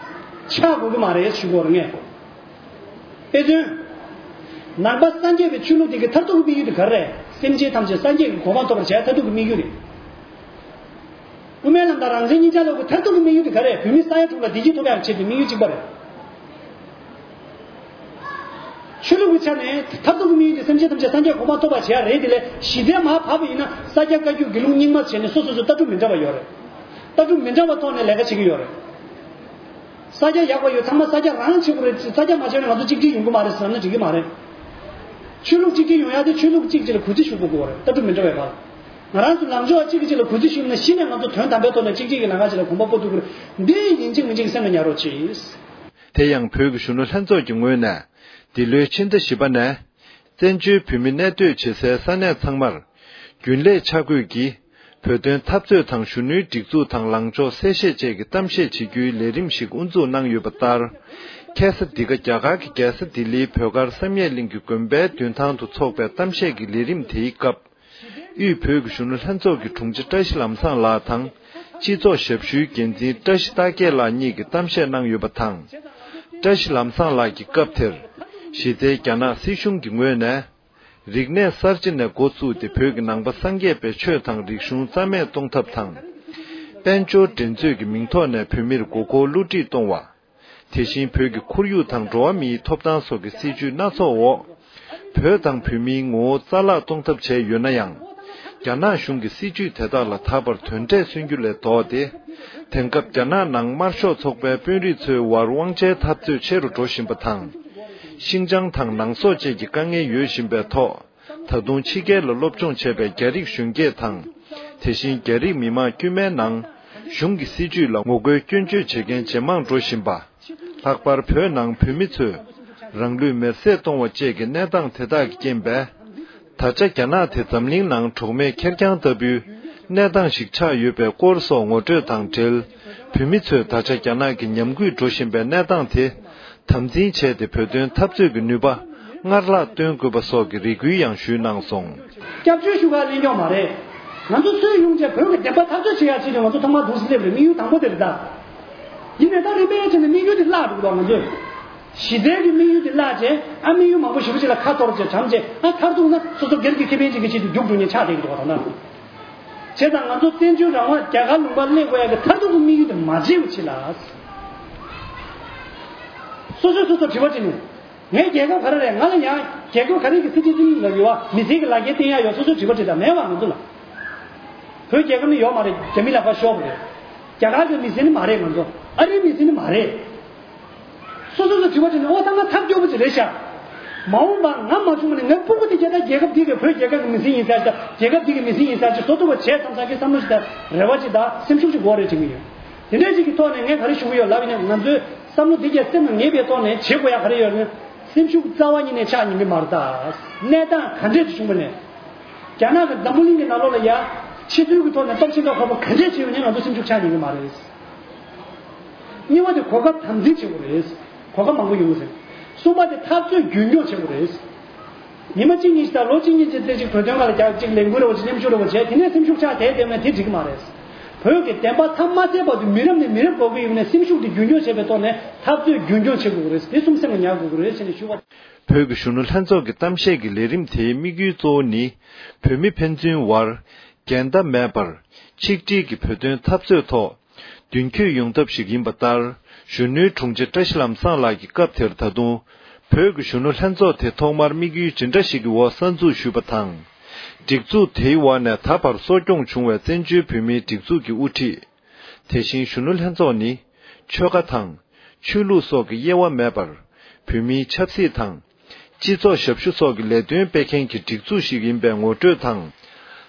ཆགས་དགོས་ཀྱི་མ་རེད་ཞུ་དགོས་རེད་ངས། དཔེ་མཚོན། ནང་པ་སངས་རྒྱས་པའི་ཆོས་ལུགས་དེ་གི་མཐར་ཐུག་གི་དམིགས་ཡུལ་དེ་ག་རེ་རེད། སེམས་ཅན་ཐམས་ཅད་སངས་རྒྱས་ཀྱི་གོ་འཕང་ཐོབ་པར་བྱ་ཡ་མཐར་ཐུག་གི་དམིགས་ཡུལ་རེད། དབུ་མའི་ལམ་དང་རང་བཙན་གཉིས་ཆར་ལོག་གི་མཐར་ཐུག་གི་དམིགས་ཡུལ་དེ་ག་རེ་རེད། བོད་མི་ས་ཡ་དྲུག་ལ་བདེ་སྐྱིད་ཐོབ་ཡག་ཆེད་དུ་དམིགས་ཡུལ་གཅིག་པ་རེད། ཆོས་ལུགས་ཀྱི་ཆ་ནས་མཐར་ཐུག་གི་དམིགས་ཡུལ་དེ་སེམས་ཅན་ཐམས་ཅད་སངས་རྒྱས་གོ་འཕང་ཐོབ་པར་བྱེད་ཡ་རེད། དེ་ལས་གཞི་རྩའི་མར་བབས་པ་ཡིན་ན་ས་སྐྱ་བཀའ་བརྒྱུད་དགེ་ལུགས་རྙིང་མ་བྱས་ནས་སོ་སོ་སོ་ལྟ་གྲུབ་མི་འདྲ་བ་ཡོད་རེད། ལྟ་གྲུབ་མི་འདྲ་བ་ཐོག་ནས་ལས་ཀ་བྱེད་ཀྱི་ཡོད་རེད། ས་སྐྱ་ཡག་པ་ཡོད་ཚང་མ་ས་སྐྱ་རང་བྱེད་དགོས་རེད། ས་སྐྱ་མ་བྱས་ན་ང་ཚོ་གཅིག་སྒྲིལ་ཡོང་གི་མ་རེད་བསམ་ན་འགྲིག་གི་མ་རེད། ཆོས་ལུགས་གཅིག་སྒྲིལ་ཡོང་ཡ་དེ་ཆོས་ལུགས་གཅིག་གཅིག་ལ་གུས་བརྩི་ཞུ་དགོས་ཀྱི་ཡོད་རེད། ལྟ་གྲུབ་མི་འདྲ་བའི་བར། ང་རང་ཚོ་ལངས་ཕྱོགས་གཅིག་གིས་གཅིག་ལ་གུས་བརྩི་ཞུས་ན་གཞི་ནས་ང་ཚོ་དོན་དམ་པའི་ཐོག་ནས་གཅིག་གཅིག་གི་ལམ་ཁ་གཅིག་ལ་གོམ་པ་སྤོ་ཐུབ་ཀྱི་རེད། འདི་ཡིན་གཅིག་མིན་གཅིག་སེམས་ལ་ཉར་རོགས་གྱིས། དེ་ཡང་བོད་ཀྱི་གཞོན་ནུ་ལྷན་ཚོགས་ཀྱི་ངོས་ནས་འདི་ལོའི་ཕྱི་ཟླ་བཞི་པ་ནས་བཙན་བྱོལ་བོད་མི་གནས་སྡོད་བྱེད་སའི་ས་གནས་ཚང་མར་རྒྱུན་ལས་ཆ་བགོས་ཀྱིས་བོད་དོན་འཐབ་རྩོད་དང་གཞོན་ནུའི་སྒྲིག་འཛུགས་དང་ལངས་ཕྱོགས་གསལ་བཤད་བཅས་ཀྱི་གཏམ་བཤད་བྱེད་རྒྱུའི་ལས་རིམ་ཞིག་དབུ་འཛུགས་གནང་ཡོད་པ་ལྟར། ཁ་སང་འདི་ག་རྒྱ་གར་གྱི་རྒྱལ་ས་ལྡི་ལིའི་བོད་སྒར་བསམ་ཡས་གླིང་གི་དགོན་པའི་མདུན་ཐང་དུ་འཚོགས་པའི་གཏམ་བཤད་ཀྱི་ལས་རིམ་དེའི་སྐབས། དབུས་བོད་ཀྱི་གཞོན་ནུ་ལྷན་ཚོགས་ཀྱི་དྲུང་ཆེ་བཀྲ་ཤིས་ལམ་བཟང་ལགས་དང་། སྤྱི་ཚོགས་ཞབས་ཞུའི་འགན་འཛིན་བཀྲ་ཤིས་རྟ་རྒྱས་ལགས་གཉིས་ཀྱིས་གཏམ་བཤད་གནང་ཡོད་པ་དང་། བཀྲ་ཤིས་ལམ་བཟང་ལགས་ཀྱིས་སྐབས་དེར། གཞི་རྩའི་རྒྱ་ནག་སྲིད་གཞུང་གི་ངོས་ནས། རིག་གནས་གསར་བརྗེ་ནས་འགོ་བཙུགས་ཏེ་བོད་ཀྱི་ནང་པ་སངས་རྒྱས་པའི་ཆོས་དང་རིག་གཞུང་རྩ་མེད་གཏོང་ཐབས་དང་། དཔལ་འབྱོར་འགྲན་རྩོད་ཀྱི་མིང་ཐོག་ནས་བོད་མིར་མགོ་སྐོར་བསླུ་བྲིད་གཏོང་བ། དེ་བཞིན་བོད་ཀྱི་ཁོར་ཡུག་དང་འགྲོ་བ་མིའི་ཐོབ་ཐང་སོགས་ཀྱི་སྲིད་བྱུས་སྣ་ཚོགས་འོག་བོད་དང་བོད་མིའི་ངོ་བོ་རྩ་བརླག་གཏོང་ཐབས་བྱས་ཡོད་ན་ཡང་། རྒྱ་ནག་གཞུང་གིས་སྲིད་བྱུས་དེ་དག་ལ་ད་བར་དོན་འབྲས་སོན་རྒྱུ་ལས་ལྡོག་སྟེ། དེང་སྐབས་རྒྱ་ནག་ནང་དམར་ཤོག་ཚོགས་པའི་དཔོན་རིགས་ཚོའི་དབར་དབང་ཆའི་འཐབ་རྩོད་ཆེ་རུ་འགྲོ་བཞིན་པ་དང་། ཤིན་ཅང་དང་ནང་སོག་བཅས་ཀྱི་དཀའ་ངལ་ཡོད་བཞིན་པའི་ཐོག་ད་དུང་ཕྱི་རྒྱལ་ལ་སློབ་སྦྱོང་བྱས་པའི་རྒྱ་རིགས་གཞོན་སྐྱེས་དང་། དེ་བཞིན་རྒྱ་རིགས་མི་མང་དཀྱུས་མའི་ནང་གཞུང་གི་སྲིད་བྱུས་ལ་ངོ་རྒོལ་སྐྱོན་བརྗོད་བྱེད་མཁན་ཇེ་མང་འགྲོ་བཞིན་པ། ལྷག་པར་བོད་ནང་བོད་མི་ཚོས་རང་ལུས་མེར་སྲེག་གཏོང་བ་བཅས་ཀྱི་གནས་སྟངས་དེ་དག་གི་རྐྱེན་པས། ད་ཆ་རྒྱ་ནག་དེ་འཛམ་གླིང་ནང་གྲོགས་མེད་ཁེར་རྐྱང་ལྟ་བུའི་གནས་སྟངས་ཤིག་ཆགས་ཡོད་པའི་སྐོར་སོགས་ངོ་སྤྲོད་དང་འབྲེལ། བོད་མི་ཚོས་ད་ཆ་རྒྱ་ནག་གི་ཉམས་རྒུད་འགྲོ་བཞིན་པའི་གནས་སྟངས་དེ། དམ་འཛིན་བྱས་ཏེ་བོད་དོན་འཐབ་རྩོད་ཀྱི་ནུས་པ་སྔར་ལྷག་སྟོན་དགོས་པ་སོགས་ཀྱི་རེ་སྐུལ་ཡང་ཞུས་གནང་སོང་། སྐྱབས་བཅོལ་ཞུ་ག་གླེང་ཀྱོག་མ་རེད། ང་ཚོ་སུས་ཡོང་བྱས་བོད་ཀྱི་བདེན་པ་འཐབ་རྩོད་བྱེད་ཡག་ཆེད་དུ་ང་ཚོ་ཐོག་མར་འདུག་སེ་སླེབས་རེད། དམིགས་ཡུལ་དང་པོ་དེ་རེད་ད། ཡིན་ནའི་ད་རིམ་པས་བྱས་ནས་དམིགས་ཡུལ་དེ་བརླག་འགྲོ་གི་འདུག་ང་ཚོས། གཞི་རྩའི་གི་དམིགས་ཡུལ་དེ་བརླག་བྱས་ཨ་དམིགས་ཡུལ་མང་པོ་ཞེ་པོ་ཅིག་ལ་ཁ་གཏོར་བྱས་བྱམས་བྱས་ཨ་མཐར་ཐུག་ན་སོ་སོ་སྒེར་གྱི་ཁེ་ཕན་ཅིག་གི་ཆེད་དུ་རྒྱུགས་འགྲོ་མཁན་ཆགས་བསྡད་ཀྱི་འདུག་ག་ད་ལྟ། བྱས་ཙང་ང་ཚོ་བཙན་བྱོལ་རང་དབང་རྒྱ་གར་ལུང་པར་སླེབས་དགོས་ཡག་གི་མཐར་ཐུག་གི་དམིགས་ཡུལ་དེ་མ་བརྗེད་པ་ཅིག་ལ། སོ་སོས་སོ་སོར་དྲི་བ་དྲིས་ནས། ངའི་རྒྱལ་ཁབ་ག་རེ་རེད། ང་ལ་ཡང་རྒྱལ་ཁབ་ག་རེ་གི་སྲིད་དོན་ལ་ཡོད་པ་མི་སེར་གྱི་ལག་འཁྱེར་བསྟན་ཡག་ཡོད། སོ་སོས་དྲི་བ་དྲིས་དང་མེད་པ་ང་ཚོ་ལ། བོད་རྒྱལ་ཁབ་ནི་ཡོད་མ་རེད། རྒྱ་མི་ལག་པར་ཤོར་བ་རེད། རྒྱ་གར་གྱི་མི་སེར་ནི་མ་རེད། ང་ཚོ་ཨ་རིའི་མི་སེར་ནི་མ་རེད། སོ་སོ་ཚོ་དྲི་བ་དྲིས་ནས་ཨོ་ད་ང་ཐབས་སྐྱོ་པོ་ཅིག་རེད་ཤག་མ་འོངས་པ་ང་མ་བྱུང་བ་ནས་ངའི་སྤུ་གུ་དེ་རྒྱལ་ད་རྒྱལ་ཁབ་དེ་གི་བོད་རྒྱལ་ཁབ་ཀྱི་མི་སེར་ཡིན་ས་ཅིག་དང་རྒྱལ་ཁབ་དེ་གི་མི་སེར་ཡིན་ས་ཅིག་བཟོ་ཐུབ་པ་བྱས་བསམ་ས་གི་བསམ་བློ་ཞིག་དང་རེ་བ་ཅིག་དང་སེམས་ཤུགས་ཅིག་དགོས་རེད་དྲན་གྱི་ཡོད། དེ་འདྲའི་ཅིག་གི་ཐོག་ནས་ངས་ག་རེ་ཞུ་གི་ཡོད་ལབ་ཡིན་ན། ང་ཚོའི་བསམ་བློ་འདི་གས་སེམས་ལ་ངེས་པའི་ཐོག་ནས་བྱེད་དགོས་ཡ་ག་རེ་ཡོད་ན། སེམས་ཤུགས་རྩ་བ་ཉིད་ནས་ཆག་ཉན་གི་མ་རེད་ད། གནས་སྟངས་ག་འདྲས་ཅིག་བྱུང་བ་ནས། རྒྱ་ནག་གི་འཛམ་བུ་གླིང་གི་ནང་ལོགས་ལ་ཡ་ཕྱི་ཚུལ་གྱི་ཐོག་ནས་སྟོབས་ཆེན་ཁག་ཁག་པོ་ག་འདྲས་བྱས་ཡོད་ན་ང་ཚོ་སེམས་ཤུགས་ཆག་ཉན་གི་མ་རེད། གཉིས་པ་དེ་གོ་སྐབས་དམ་འཛིན་བྱེད་དགོས་རེད། གོ་སྐབས་མང་པོ་ཡོང་གི་རེད། གསུམ་པ་དེ་འཐབ་རྩོད་རྒྱུན་འཁྱོངས་བྱེད་དགོས་རེད། ཉི་མ་གཅིག་གཉིས་ཤིག་དང་ལོ་གཅིག་གཉིས་ཀྱི་རྩེ་གཅིག་བོད་དོན་སྒང་ལ་རྒྱག་གཅིག་ལས་འགུལ་རེ་བ་ཅིག་མཉམ་ཞུགས་རེ་བ་བྱས། དེ་ནས་སེམས་ཤུགས་ཆག་བསྡད་བསྡད་ན་དེ་འགྲིག་གི་མ་རེད། བོད་ཀྱི་བདེན་པ་མཚམས་མ་ཟད་བར་དུ་མི་རབས་ནས་མི་རབས་འགོར་གྱི་ཡོད་ན། སེམས་ཤུགས་དེ་རྒྱུན་འཁྱོངས་བྱེད་པའི་ཐོག་ནས་འཐབ་རྩོད་རྒྱུན་འཁྱོངས་བྱེད་དགོས་ཀྱི་རེད། དེ་གསུམ་སེམས་ལ་ཉར་དགོས་ཀྱི་རེད་ཅེས་ནས་ཞུ་བ། བོད་ཀྱི་གཞོན་ནུ་ལྷན་ཚོགས་ཀྱི་གཏམ་བཤད་ཀྱི་ལས་རིམ་དེའི་དམིགས་ཡུལ་གཙོ་བོ་ནི། བོད་མི་ཕན་ཚུན་བར་འགལ་ཟླ་མེད་པར་ཆིག་སྒྲིལ་གྱིས་བོད་དོན་འཐབ་རྩོད་ཐོག་མདུན་སྐྱོད་ཡོང་ཐབས་ཤིག་ཡིན་པ་ལྟར། གཞོན་ནུའི་དྲུང་ཆེ་བཀྲ་ཤིས་ལམ་བཟང་ལགས་ཀྱིས་སྐབས་དེར་ད་དུང་བོད་ཀྱི་གཞོན་ནུ་ལྷན་ཚོགས་དེ་ཐོག་མར་དམིགས་ཡུལ་ཇི་འདྲ་ཞིག་གི་འོག་གསར་འཛུགས་ཞུས་པ་དང་། སྒྲིག་འཛུགས་དེའི་འོག་ནས་ད་བར་གསོ་སྐྱོང་བྱུང་བའི་བཙན་བྱོལ་བོད་མིའི་སྒྲིག་འཛུགས་ཀྱི་དབུ་ཁྲིད། དེ་བཞིན་གཞོན་ནུ་ལྷན་ཚོགས་ནི། ཆོལ་ཁ་དང་། ཆོས་ལུགས་སོགས་ཀྱི་དབྱེ་བ་མེད་པར། བོད་མིའི་ཆབ་སྲིད་དང་། སྤྱི་ཚོགས་ཞབས་ཞུ་སོགས་ཀྱི་ལས་དོན་སྤེལ་མཁན་གྱི་སྒྲིག་འཛུགས་ཤིག་ཡིན་པའི་ངོ་སྤྲོད་དང་།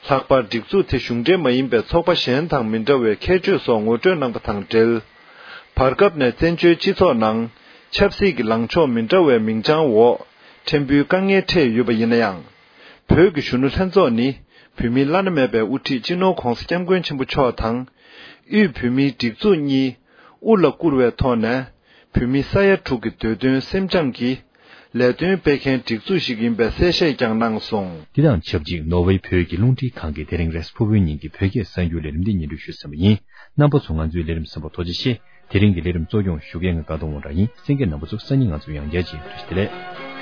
ལྷག་པར་སྒྲིག་འཛུགས་དེ་གཞུང་འབྲེལ་མ་ཡིན་པའི་ཚོགས་པ་གཞན་དང་མི་འདྲ་བའི་ཁྱད་ཆོས་སོགས་ངོ་སྤྲོད་གནང་པ་དང་འབྲེལ། བར་སྐབས་ནས་བཙན་བྱོལ་སྤྱི་ཚོགས་ནང་ཆབ་སྲིད་ཀྱི་ལངས་ཕྱོགས་མི་འདྲ་བའི་མིང་བྱང་འོག་ཕྲན་བུའི་དཀའ་ངལ་འཕྲད་ཡོད་པ་ཡིན་ན་ཡང་། བོད་ཀྱི་གཞོན་ནུ་ལྷན་ཚོགས་ནི་བོད་མིའི་བླ་ན་མེད་པའི་དབུ་ཁྲིད་སྤྱི་ནོར་༧གོང་ས་༧སྐྱབས་མགོན་ཆེན་པོ་མཆོག་དང་། དབུས་བོད་མིའི་སྒྲིག་འཛུགས་གཉིས་དབུ་ལ་བཀུར་བའི་ཐོག་ནས། བོད་མི་ས་ཡ་དྲུག་གི་འདོད་དོན་སེམས་སྦྱངས་ཀྱིས་ལས་དོན་སྤེལ་མཁན་སྒྲིག་འཛུགས་ཤིག་ཡིན་པའི་གསལ་བཤད་ཀྱང་གནང་སོང་། འདི་དང་ཆབས་ཅིག་ནོར་ཝེ་བོད་ཀྱི་རླུང་འཕྲིན་ཁང་གིས་དེ་རིང་རེས་ཕུར་བུའི་ཉིན་གྱི་བོད་སྐད་གསར་འགྱུར་ལས་རིམ་འདི་སྙན་སྒྲོན་ཞུས་ཟིན་པ་ཡིན། རྣམ་པ་ཚོ་ང་ཚོའི་ལས་རིམ་གསན་པར་ཐུགས་རྗེ་ཆེ། དེ་རིང་གི་ལས་རིམ་གཙོ་སྐྱོང་ཞུ་མཁན་ང་དགའ་གདོང་དབང་གྲགས་ཡིན། གསན་མཁན་རྣམ་པ་ཚོ་སང་ཉིན་ང་ཚོ་ཡང་བསྐྱར་མཇལ། བཀྲ་ཤིས་བདེ་ལེགས།